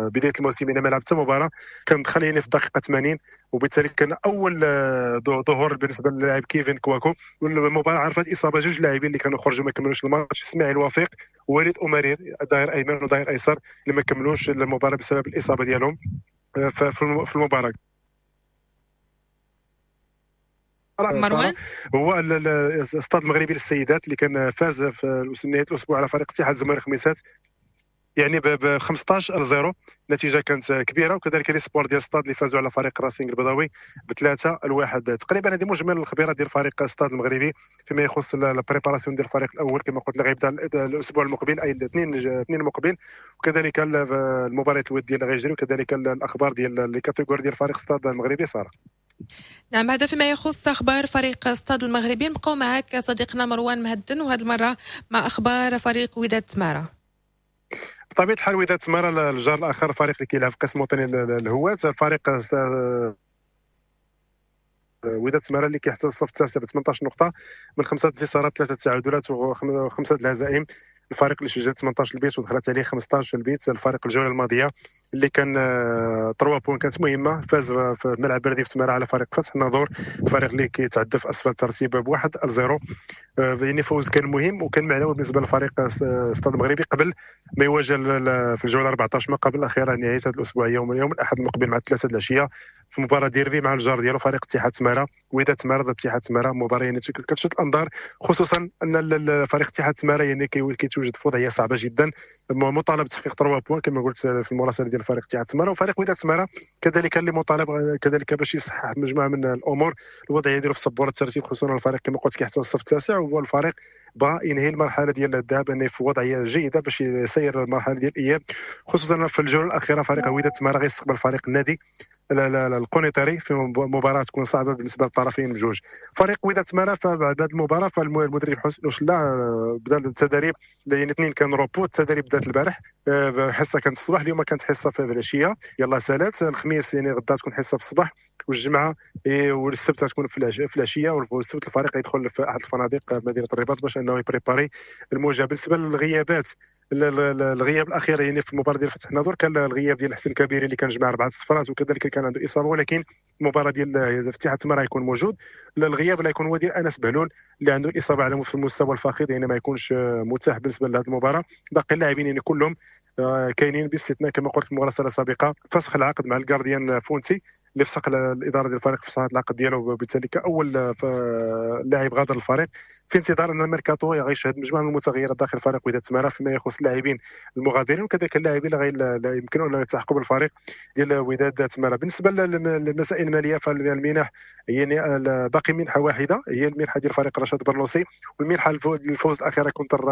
بداية الموسم، يعني ما لعب حتى مباراة، كان دخل يعني في الدقيقة 80، وبالتالي كان اول ظهور بالنسبة للاعب كيفن كواكو. والمباراة عرفت اصابه جوج لاعبين اللي كانوا خرجوا ما كملوش الماتش، اسماعيل وفيق ووليد امارير ظهير ايمن وظهير ايسر اللي ما كملوش المباراة بسبب الاصابة ديالهم في المباراة. مروان هو الاستاد المغربي للسيدات اللي كان فاز في نهاية الاسبوع على فريق اتحاد زمير خميسات يعني ب 15-0، نتيجة كانت كبيرة. وكذلك les espoirs ديال ستاد اللي فازوا على فريق راسينغ البيضاوي ب3-1 تقريبا. هذه مجمل الخبيرة ديال فريق ستاد المغربي فيما يخص ال préparation ديال الفريق الاول كما قلت غيبدا الاسبوع المقبل اي الاثنين المقبل، وكذلك المباريات الودية اللي غيجري، وكذلك الاخبار ديال les catégories ديال فريق ستاد المغربي. ساره نعم، هذا فيما يخص اخبار فريق ستاد المغربي. نبقاو معك صديقنا مروان مهدن، وهذه المرة مع اخبار فريق وداد تمارة. بطبيعة الحال وداد تمارة الجار الاخر، فريق اللي كيلعب في قسم الوطني الهواة، فريق وداد تمارة اللي كيحتل الصف التاسع ب 18 نقطة من 5 انتصارات، 3 تعادلات و5 الهزائم. الفريق اللي سجل 18 البيت ودخلت عليه 15 البيت. الفريق الجولة الماضية اللي كان 3 points كانت مهمة، فاز في ملعب بلدي في تمارة على فريق فتح الناظور، الفريق اللي كيتعدى في اسفل الترتيب ب1-0. يعني فوز كان مهم وكان معنوي بالنسبة للفريق ستاد المغربي قبل ما يواجه في الجولة 14 ما قبل الاخيرة نهاية هذا الاسبوع يوم الاحد المقبل مع 3 العشية في مباراة ديربي مع الجار ديالو فريق اتحاد تمارة. وداد تمارة ضد اتحاد تمارة، مباراة يعني كتشد الانظار، خصوصا ان فريق اتحاد تمارة يعني كيتوجد في وضعية صعبة جدا، مطالب بتحقيق 3 points كما قلت في المراسله ديال فريق اتحاد تمارة، وفريق وداد تمارة كذلك اللي مطالب كذلك باش يصحح مجموعة من الامور الوضعية ديالو في سبورة الترتيب، خصوصا الفريق كما قلت كيحتل الصف التاسع، وهو الفريق بغى ينهي المرحلة ديال الذهاب انه في وضعية جيدة باش يسير المرحلة ديال الاياب، خصوصا في الجولة الاخيرة فريق وداد تمارة غيستقبل فريق النادي القنيطري في مباراة تكون صعبة بالنسبة للطرفين بجوج. فريق وداد تمارة فبعد هذه المباراة فالمدرب حسين وشلا بدا التدريب، يعني اثنين كان repos، التدريب بدات البارح، حصة كانت في الصباح، اليوم كانت حصة في العشية، يلا سالات الخميس يعني غدا تكون حصة في الصباح، والجمعة والسبت تكون في العشية، والسبت الفريق يدخل في احد الفنادق مدينة الرباط باش انه ي préparer المواجهة. بالنسبة للغيابات، الغياب الاخير يعني في المباراة ديال فتح الناظور كان الغياب ديال حسين كبيري اللي كان جمع 4 صفرات، وكذلك كان عنده اصابه، ولكن المباراة ديال اتحاد تمارة يكون موجود. الغياب اللي يكون هو ديال انس بهلول اللي عنده اصابه على في المستوى الفخذ، يعني ما يكونش متاح بالنسبة لهذه المباراة. باقي اللاعبين يعني كلهم كاينين باستثناء كما قلت في المراسله السابقة فسخ العقد مع ال gardien فونتي اللي فسخ الادارة ديال الفريق فسخ العقد ديالو، وبالتالي كاول لاعب غادر الفريق، في انتظار ان الميركاتو غيشهد مجموعة من المتغيرات داخل فريق وداد تمارة فيما يخص اللاعبين المغادرين وكذلك اللاعبين اللي يمكن ان يلتحقوا بالفريق ديال وداد تمارة. بالنسبة للمسائل المالية فالمنح يعني باقي منحه واحدة هي المنحة ديال فريق رشاد برلوسي، والمنحه الفوز الاخيرة contre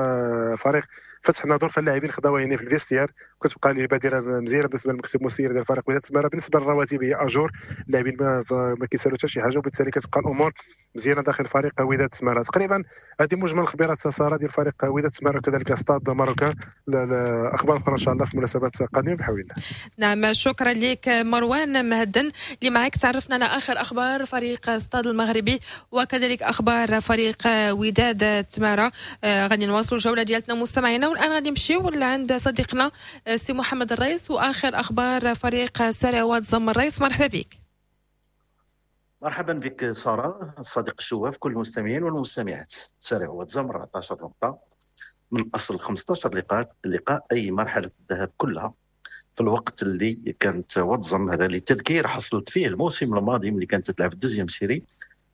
فريق فتح ناظور، فاللاعبين خداوها يعني في ال vestiaire، وكتبقى لي بادره مزيانه بالنسبة للمكتب المسير ديال فريق وداد تمارة. بالنسبة للرواتب هي à jour، اللاعبين ما كيسالوا حتى شي حاجة، وبالتالي كتبقى الامور مزيانه داخل فريق وداد تمارة. تقريبا هذه مجمل الخبيرات ساره ديال فريق وداد تمارة وكذلك Stade Marocain. الاخبار اخرى ان شاء الله في مناسبات قادمة بحول الله. نعم، شكرا لك مروان مهدن اللي معك تعرفنا على اخر اخبار فريق ستاد المغربي وكذلك اخبار فريق وداد تمارة. غادي نواصلوا الجولة ديالتنا مستمعينا، والان غادي نمشيو لعند صديقنا سي محمد الرئيس واخر اخبار فريق سريع واد زم. الرئيس مرحبا بك. مرحبا بك ساره، الصديق الشواف، كل المستمعين والمستمعات. سريع واد زم 14 نقطة من اصل 15 لقاء اي مرحلة الذهاب كلها، في الوقت اللي كانت واد زم هذا للتذكير حصلت فيه الموسم الماضي ملي كانت تلعب ال deuxième série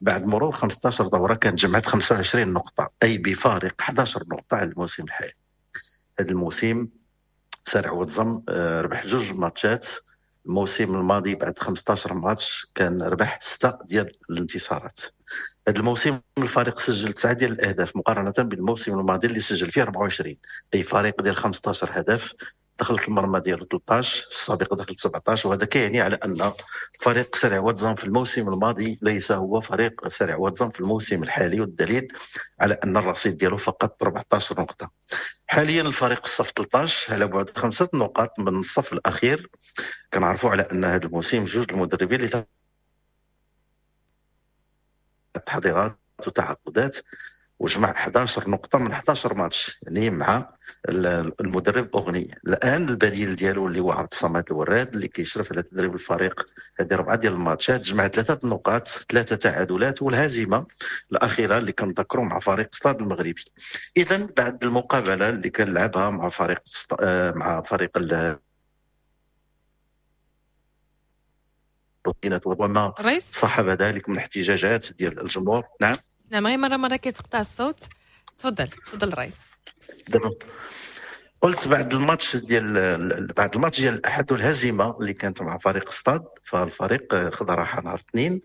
بعد مرور 15 دوره كانت جمعت 25 نقطة، اي بفارق 11 نقطة على الموسم الحالي. هذا الموسم سريع واد زم ربح 2 ماتشات، الموسم الماضي بعد 15 ماتش كان ربح 6 ديال الانتصارات. هذا الموسم الفريق سجل 9 ديال الاهداف مقارنة بالموسم الماضي اللي سجل فيه 24، اي فريق ديال 15 هدف دخلت المرمى ديالو 13، في السابق دخلت 17، وهذا كيعني على ان فريق سريع واد زم في الموسم الماضي ليس هو فريق سريع واد زم في الموسم الحالي، والدليل على ان الرصيد ديالو فقط 14 نقطة. حاليا الفريق الصف 13 على بعد 5 نقاط من الصف الاخير. كنعرفوا على ان هذا الموسم 2 المدربين اللي تحضيرات وتعاقدات وجمع 11 نقطة من 11 ماتش، يعني مع المدرب أغني. الآن البديل ديالو اللي هو عبد الصمد الوراد اللي كيشرف على تدريب الفريق هذه 4 ديال الماتشات، جمع 3 نقاط، 3 تعادلات والهزيمة الأخيرة اللي كنذكروا مع فريق ستاد المغربي. إذا بعد المقابلة اللي كان لعبها مع فريق وما صاحب ذلك من احتجاجات ديال الجمهور. نعم نعم، غير مرة كيتقطع الصوت. تفضل تفضل الرئيس. قلت بعد الماتش ديال الاحد والهزيمة اللي كانت مع فريق ستاد، فالفريق خذ راحة نهار الاثنين،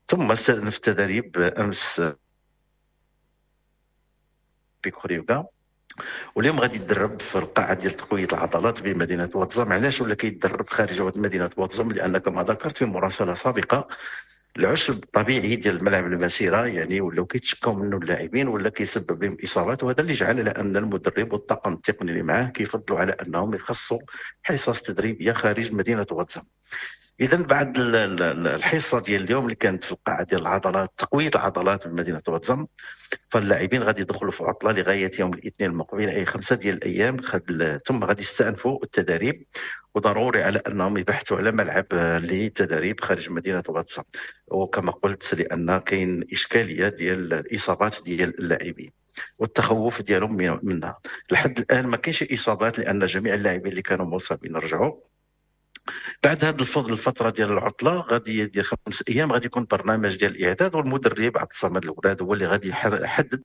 ثم استأنف التدريب امس بكوريوغا، واليوم غادي يتدرب في القاعة ديال تقوية العضلات بمدينة واد زم. علاش ولا كيتدرب خارج مدينة واد زم؟ لان كما ذكرت في مراسله سابقه العشب الطبيعي ديال الملعب المسيرة يعني ولاو كيتشكاو منه اللاعبين ولا كيسبب لهم اصابات، وهذا اللي جعل على ان المدرب والطاقم التقني اللي معاه كيفضلوا على انهم يخصوا حصص تدريبية خارج مدينة واد زم. اذا بعد الحصة ديال اليوم اللي كانت في القاعة ديال العضلات تقوية العضلات بمدينة واد زم، فاللاعبين غادي يدخلوا في عطله لغاية يوم الاثنين المقبل، اي 5 ديال الايام، ثم غادي يستأنفوا التدريب، وضروري على انهم يبحثوا على ملعب للتدريب خارج مدينة واد زم. وكما قلت لان كاين اشكالية ديال الاصابات ديال اللاعبين والتخوف ديالهم منها. لحد الان ما كاينش اصابات لان جميع اللاعبين اللي كانوا مصابين رجعوا. بعد هذه الفترة ديال العطلة غادي ديال 5 ايام غادي يكون برنامج ديال الاعداد، والمدرب عبد الصمد الوراد هو اللي غادي يحدد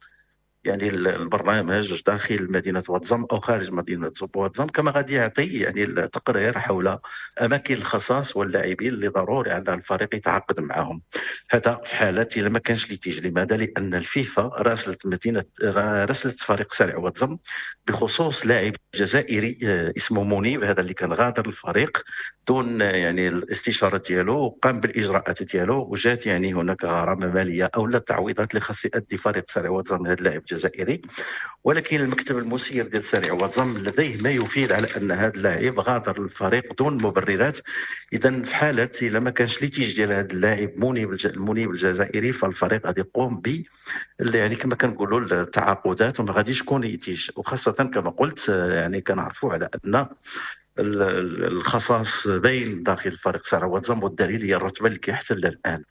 يعني البرنامج داخل مدينة واد زم او خارج مدينة واد زم، كما غادي يعطي يعني التقرير حول اماكن الخصاص واللاعبين اللي ضروري على الفريق يتعاقد معهم. هذا في حاله الا ما كانش litige. لماذا؟ لان الفيفا راسلت فريق سريع واد زم بخصوص لاعب جزائري اسمه منيب، هذا اللي كان غادر الفريق دون يعني الاستشارة ديالو وقام بالاجراءات ديالو، وجات يعني هناك غرامة ماليه او لا تعويضات اللي خاص يؤدي فريق سريع واد زم هذا اللاعب الجزائري. ولكن المكتب المسير ديال سريع واد زم لديه ما يفيد على ان هذا اللاعب غادر الفريق دون مبررات. اذا في حاله الا ما كانش litige ديال هذا اللاعب منيب الجزائري، فالفريق غادي يقوم ب يعني كما كنقولوا التعاقدات وما غاديش يكون litige. وخاصة كما قلت يعني كنعرفوا على ان الخصاص باين داخل فريق سارع واد زم، والدليل هي الرتبة اللي كيحتلها الان.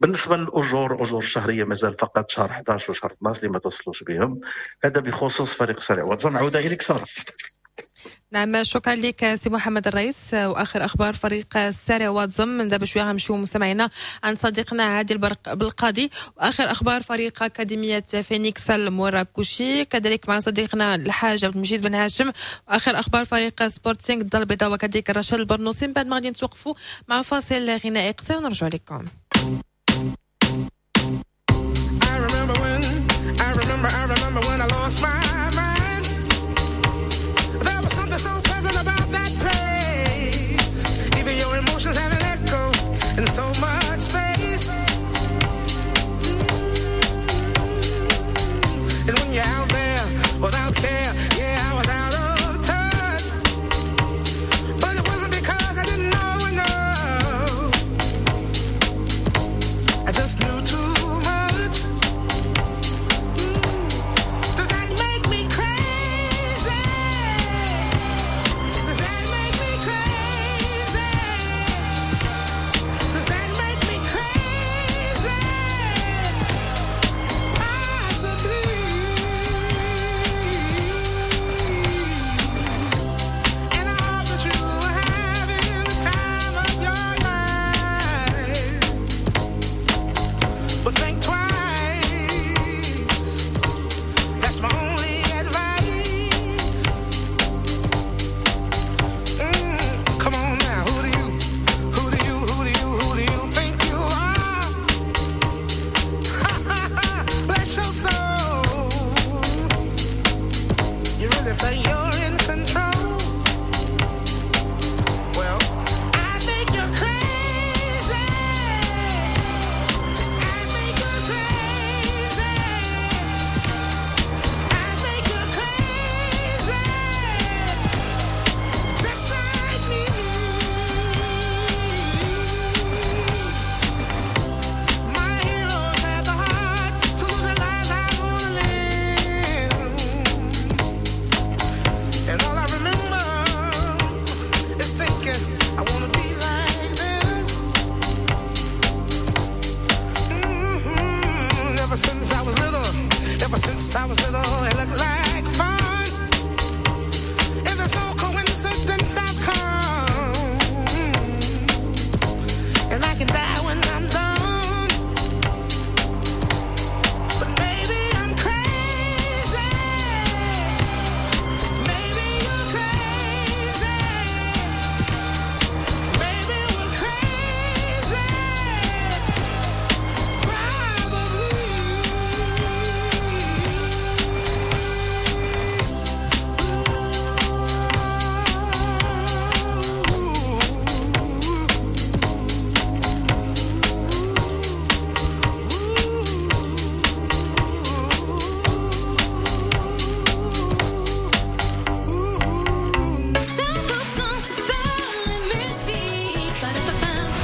بالنسبة للاجور، الاجور الشهرية مازال فقط شهر 11 وشهر 12 اللي ما توصلوش بهم. هذا بخصوص فريق سارع واد زم. عوده اليك ساره. نعم، شكرا لك سي محمد الرئيس. واخر اخبار فريق السارع واد زم من دابا شوية غنمشيو مستمعينا عند صديقنا عادل بالقاضي، واخر اخبار فريق اكاديمية فينيكس المراكشي، كذلك مع صديقنا الحاج عبد المجيد بن هاشم، واخر اخبار فريق سبورتينغ الدار البيضاء وكذلك رشاد البرنوسي. من بعد ما غادي نتوقفوا مع فاصل غنائي قصير ونرجع لكم. I remember when, I remember, I remember when I lost my mind. There was something so pleasant about that place. Even your emotions have an echo in so much space. And when you're out there without care, yeah, I was out of touch. But it wasn't because I didn't know enough. I just knew too much. Does that make me crazy? Does that make me crazy? Does that make me crazy? Possibly. And I hope that you are having the time of your life. But think twice. That's my only advice. Come on now, who do you, who do you, who do you, who do you think you are? Bless your soul. You really think you're in control? Well, I think you're crazy. I think you're crazy. I think you're crazy. Just like me. My heroes had the heart to live the lives I wanna live. And all I remember is thinking I wanna be like them. Ever since I was little, ever since I was little, it looked like fun. And there's no coincidence I've come. And I can die when I'm done. But maybe I'm crazy. Maybe you're crazy. Maybe we're crazy. Probably. Radio Mars.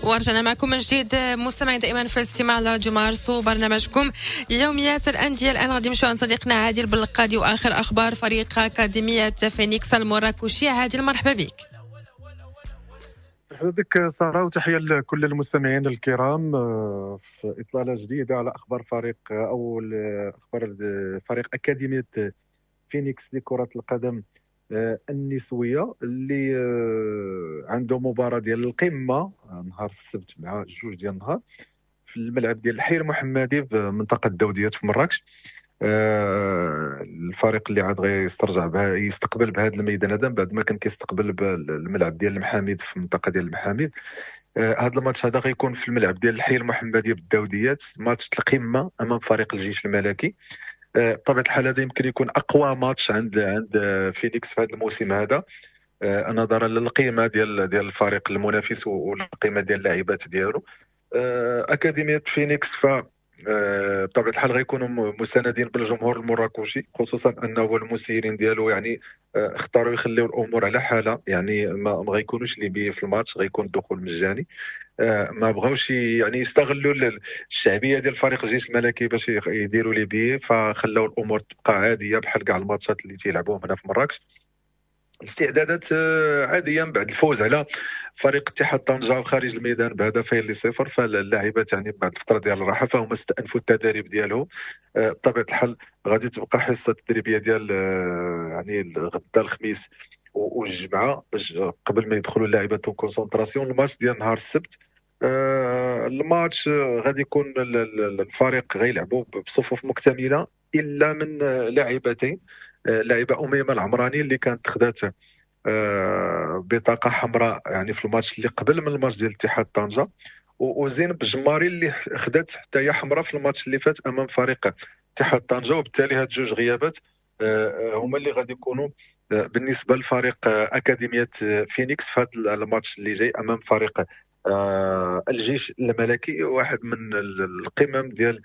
ورجعنا معكم من جديد مستمعين دائما في الاستماع لراديو مارس وبرنامجكم يوميات الاندية. الان غادي نمشيو عند صديقنا عادل بالقاضي واخر اخبار فريق اكاديمية فينيكس المراكشي. عادل مرحبا بك. مرحبا بك سارة، وتحية لكل المستمعين الكرام في إطلالة جديدة على أخبار فريق أو أخبار فريق أكاديمية فينيكس لكرة القدم النسوية اللي عنده مباراة ديال القمة نهار السبت مع 2 ديال النهار في الملعب ديال الحي المحمدي بمنطقة الدوديات في مراكش. الفريق اللي عاد غيسترجع بها يستقبل بهذا الميدان هذا بعد ما كان كيستقبل بالملعب ديال المحاميد في المنطقة ديال المحاميد. هذا الماتش هذا غيكون في الملعب ديال الحي المحمدي بالداوديات، ماتش القمه امام فريق الجيش الملكي. بطبيعة الحال هذا يمكن يكون اقوى ماتش عند فينيكس في هذا الموسم هذا، نظرا للقيمة ديال الفريق المنافس والقيمة ديال اللاعبات ديالو. اكاديمية فينيكس ف بطبيعة الحال غيكونوا مساندين بالجمهور المراكشي، خصوصا انه المسيرين ديالو يعني اختاروا يخليو الامور على حالها، يعني ما غيكونوش les billets في الماتش، غيكون الدخول مجاني. ما بغاوش يعني يستغلوا الشعبية ديال فريق الجيش الملكي باش يديروا les billets، فخلاو الامور تبقى عادية بحال كاع الماتشات اللي تيلعبوهم هنا في مراكش. استعدادات عادية من بعد الفوز على فريق اتحاد طنجه خارج الميدان ب2-0، فاللاعبات يعني بعد الفترة ديال الراحة فهم استأنفوا التدريب ديالهم. بطبيعة الحال غادي تبقى حصة تدريبية ديال يعني غدا الخميس والجمعة باش قبل ما يدخلوا اللاعبات concentration. الماتش ديال نهار السبت، الماتش غادي يكون الفريق غيلعبوا بصفوف مكتملة الا من لاعبتين، لاعبه اميمة العمراني اللي كانت خدات بطاقة حمراء يعني في الماتش اللي قبل من الماتش ديال اتحاد طنجه، وزينب الجماري اللي خدات حتى هي حمراء في الماتش اللي فات امام فريق اتحاد طنجه. وبالتالي هاد جوج غيابات هما اللي غادي يكونوا بالنسبة لفريق اكاديمية فينيكس في هذا الماتش اللي جاي امام فريق الجيش الملكي، واحد من القمم ديال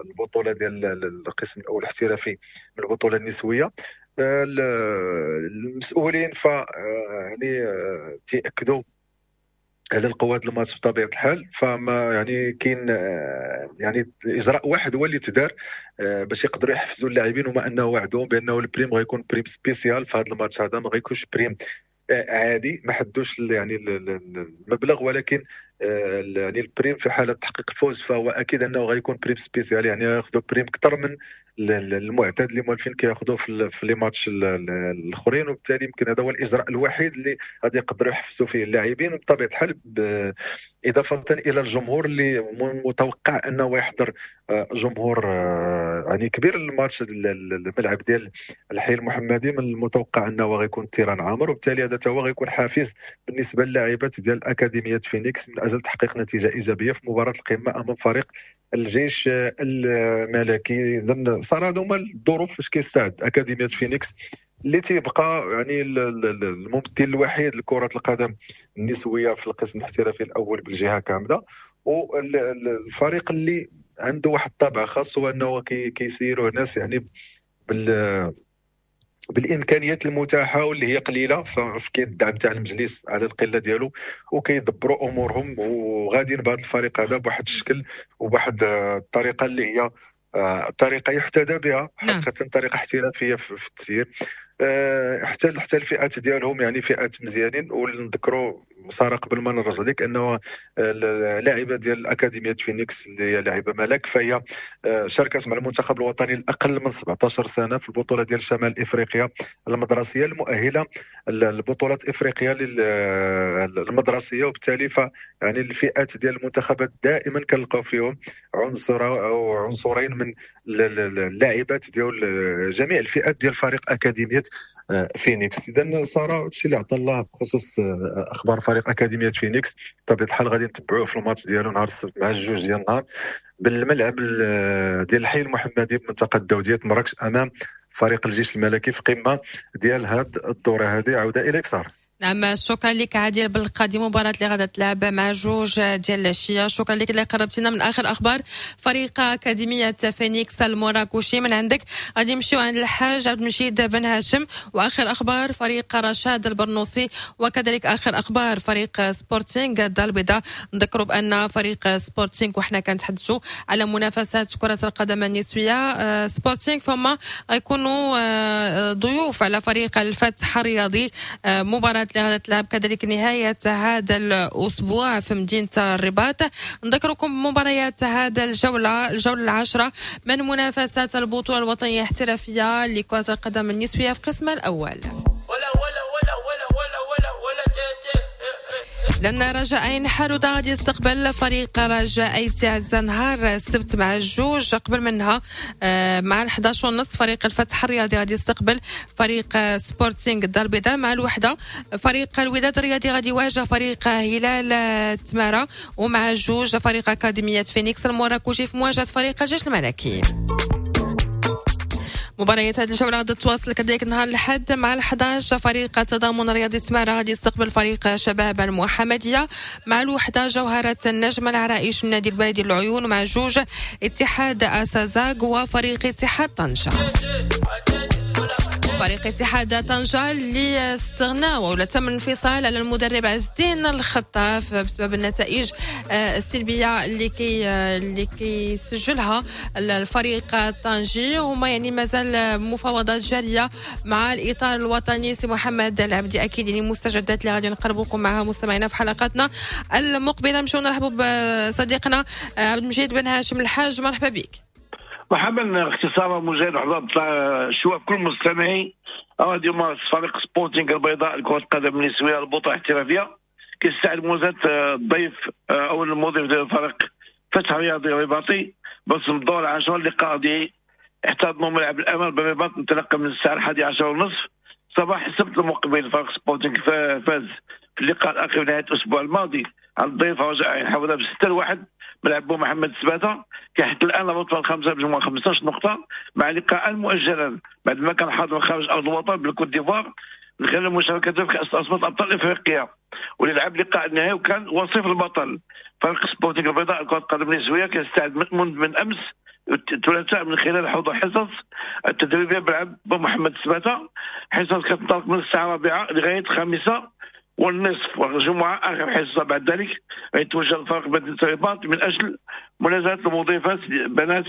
البطولة ديال القسم الاول الاحترافي من البطولة النسوية. المسؤولين ف يعني تياكدوا على القوات الماتش بطبيعة الحال، فما يعني كاين يعني اجراء واحد هو اللي تدار باش يقدروا يحفزوا اللاعبين، وما انه وعدوهم بانه ال prime غيكون prime spéciale في هذا الماتش هذا، ما غيكونش prime عادي، ما حدوش يعني المبلغ، ولكن يعني ال prime في حاله تحقيق الفوز فهو اكيد انه غيكون prime spécial، يعني ياخذوا prime اكثر من المعتاد اللي موالفين كياخذوه في les matchs الاخرين. وبالتالي يمكن هذا هو الاجراء الوحيد اللي غادي يقدروا يحفزوا فيه اللاعبين، وبطبيعة الحال اضافه الى الجمهور اللي متوقع انه يحضر جمهور يعني كبير الماتش. الملعب ديال الحي المحمدي من المتوقع انه غيكون terrain عامر، وبالتالي هذا هو غيكون حافز بالنسبة للاعبات ديال اكاديمية فينيكس من اجل تحقيق نتيجة ايجابية في مباراة القمه امام فريق الجيش الملكي. اذا صار هذو هما الظروف فاش كيستعد اكاديمية فينيكس اللي تيبقى يعني الممثل الوحيد لكرة القدم النسوية في القسم الاحترافي الاول بالجهة كاملة، والفريق اللي عنده واحد الطابع خاص هو انه كيسيروه ناس يعني بالامكانيات المتاحة واللي هي قليله، فكاين الدعم تاع المجلس على القلة ديالو وكيدبروا امورهم وغاديين بهذا الفريق هذا بواحد الشكل وبواحد الطريقة اللي هي طريقه يحتذى بها حقيقة، طريقه احترافية في التسيير. حتى الفئات ديالهم يعني فئات مزيانين. ونذكروا ساره قبل ما نرجع لك انه اللاعبه ديال اكاديمية فينيكس اللي هي لاعبه ملك، فهي شاركت مع المنتخب الوطني الاقل من 17 سنة في البطولة ديال شمال افريقيا المدرسية المؤهله لبطولات افريقيا المدرسية، وبالتالي ف يعني الفئات ديال المنتخبات دائما كنلقاو فيهم عنصر او عنصرين من اللاعبات ديال جميع الفئات ديال فريق اكاديمية فينيكس. اذا ساره هادشي اللي عطى الله بخصوص اخبار فريق اكاديمية فينيكس. بطبيعة الحال غادي نتبعوه في الماتش ديالو نهار السبت مع الجوج ديال النهار بالملعب ديال الحي المحمدي بمنطقة الدوديه مراكش امام فريق الجيش الملكي في قمة ديال هاد الدورة هذه. عوده اليك ساره. نعم شكرا لك عادل بالقادي، مباراة اللي غادا تلعب مع جوج ديال العشية. شكرا لك اللي قربتينا من آخر أخبار فريق أكاديمية فينيكس المراكشي. من عندك غادي نمشيو عند الحاج عبد المجيد بن هاشم وآخر أخبار فريق رشاد البرنوسي، وكذلك آخر أخبار فريق سبورتينغ الدار البيضاء. نذكروا بأن فريق سبورتينغ وحنا كنتحدثوا على منافسات كرة القدم النسوية، سبورتينغ فما غيكونوا ضيوف على فريق الفتح الرياضي، مباراة اللي غتلعب كذلك نهاية هذا الأسبوع في مدينة الرباط. نذكركم بمباريات هذا الجولة العاشرة من منافسات البطولة الوطنية الاحترافية لكرة القدم النسوية في قسم الأول. لأن رجاء حرودة غادي يستقبل فريق رجاء أيت عزة نهار السبت مع الجوج، قبل منها مع 11:30 فريق الفتح الرياضي غادي يستقبل فريق سبورتينغ الدار البيضاء مع الوحدة. فريق الوداد الرياضي غادي يواجه فريق هلال تمارة، ومع الجوج فريق أكاديمية فينيكس المراكشي في مواجهة فريق الجيش الملكي. مباريات هذه الجولة غادي تواصل كذلك نهار الأحد مع 11 فريق التضامن الرياضي تمارا غادي يستقبل فريق شباب المحمدية، مع الوحدة جوهرة النجم العرائش النادي البلدي العيون، مع 2 اتحاد أسازاغ وفريق اتحاد طنجة. فريق اتحاد طنجة اللي استغنى ولا تم الانفصال على المدرب عز الدين الخطاف بسبب النتائج السلبية اللي كيسجلها الفريق الطنجي، وما يعني مازال مفاوضات جارية مع الإطار الوطني سي محمد العبدي. أكيد يعني مستجدات اللي غادي نقربوكم معها مستمعينا في حلقاتنا المقبلة. نمشيو نرحبوا بصديقنا عبد المجيد بن هاشم الحاج، مرحبا بك. مرحبا اختي ساره مجاهد، مرحبا الشباب كل المستمعين. راديو مارس فريق سبورتينغ البيضاء لكرة القدم النسوية البطولة الاحترافية كيستعد مواجهة الضيف او المضيف ديال الفريق فتح رياضي الرباطي برسم الدور العاشر. اللقاء دي احتضنوا ملعب الامل بالرباط انطلاقا من الساعة 11:30 صباح السبت المقبل. فريق سبورتينغ فاز في اللقاء الاخير نهاية الاسبوع الماضي على الضيف رجاء عين حوله ب6-1 ملعب محمد سباته. كيحتل الان الرتبة الخامسة بمجموع 15 نقطة مع لقاء مؤجلا بعد ما كان حاضر خارج ارض الوطن بالكوت ديفوار من خلال مشاركته في كاس عصبه ابطال افريقيا واللي لعب لقاء النهائي وكان وصيف البطل. فريق سبورتينغ البيضاء لكرة القدم النسوية كيستعد من امس الثلاثاء من خلال حضور حصص التدريبية بلعب محمد سباته. حصص كتنطلق من الساعة 4 لغاية 5:30 والجمعة اخر حصة. بعد ذلك يتوجه الفريق مدينة الرباط من اجل منازله المضيفات بنات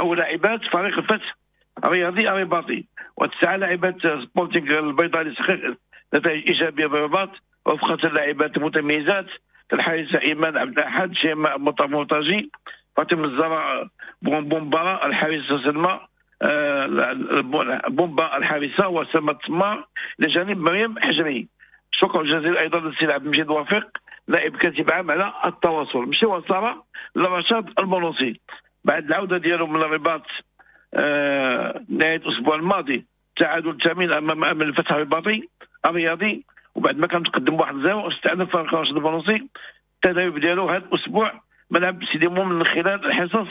او لاعبات فريق الفتح الرياضي الرباطي. وتسعى لاعبات سبورتينغ البيضاء لتحقيق نتائج ايجابية بالرباط وفقة اللاعبات المتميزات كالحارسه ايمان عبد الاحد، شيماء مرتجي، فاطمة الزهراء بومبارا الحارسة سلمى بومبا الحارسة، وسلمى التمار لجانب مريم حجري. شكرا جزيلا ايضا للسيد عبد المجيد وفيق نائب كاتب عام على التواصل. مشي وصاره لرشاد البونوسي بعد العودة ديالو من الرباط نهاية الاسبوع الماضي، تعادل ثمين امام امل الفتح الرباطي الرياضي، وبعد ما كان متقدم 1-0 استأنف فريق رشاد البونوسي التدريب ديالو هذا الاسبوع ملعب سيدي مومن من خلال الحصص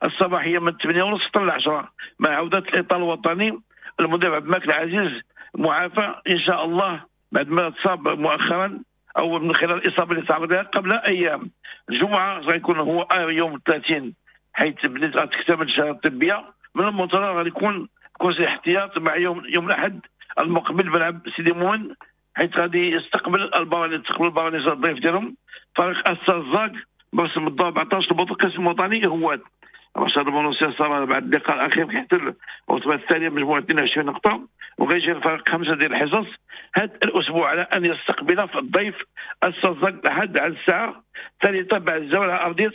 الصباحية من 8:30 حتى 10 مع عوده الاطار الوطني المدرب عبد الملك العزيز معافى ان شاء الله بعد ما تصاب مؤخرا او من خلال الاصابة اللي تعرض لها قبل ايام. الجمعة غيكون هو يوم 30 حيث بدات غتكتمل الشهادة الطبية، من المنتظر غادي يكون كرسي احتياط مع يوم الاحد المقبل بلعب سيدي مومن حيث غادي يستقبل البرانيس الضيف ديالهم فريق السازاك برسم الدور 14 البطولة القسم الوطني هو رشاد البونوسي صار بعد اللقاء الاخير كيحتل الرتبة الثانية بمجموع 22 نقطة، وغيجي الفريق 5 ديال الحصص هذا الاسبوع على ان يستقبل في الضيف السازاك الاحد على الساعة 3 بعد الزوال على ارضية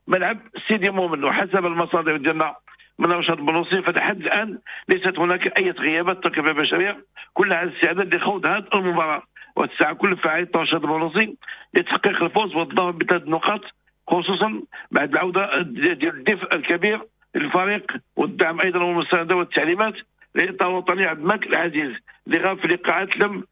ملعب سيدي مومن. وحسب المصادر ديالنا من رشاد البونوسي فلحد الان ليست هناك اي غيابات تركيبه بشرية كلها على الاستعداد لخوض هذه المباراة، وتسعى كل فعالية رشاد البونوسي لتحقيق الفوز والظفر بثلاث نقاط خصوصا بعد العودة ديال الدفء الكبير للفريق والدعم ايضا والمسانده والتعليمات للاطار الوطني عبد الملك العزيز اللي غاب في لقاءات لم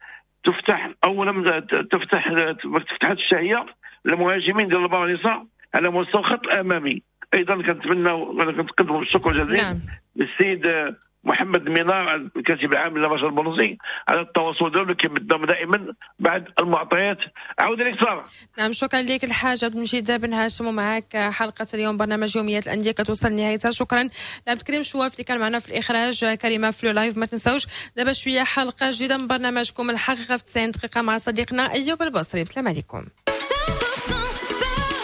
تفتح او لم تفتح ما تفتحت الشهية للمهاجمين ديال البارنيسا على مستوى الخط الامامي. ايضا كنتمناو كنتقدموا بالشكر الجزيل للسيد محمد مينار الكاتب العام لرشاد البونوسي على التواصل ديالو اللي كيمدهم دائما بعد المعطيات. عاود لك ساره. نعم شكرا لك الحاج عبد المجيد بن هاشم، ومعك حلقة اليوم برنامج يوميات الاندية كتوصل لنهايتها. شكرا لعبد الكريم شواف اللي كان معنا في الاخراج، كريمة في live. ما تنساوش دابا شوية حلقة جديدة من برنامجكم الحقيقة في 90 دقيقة مع صديقنا ايوب البصري. السلام عليكم.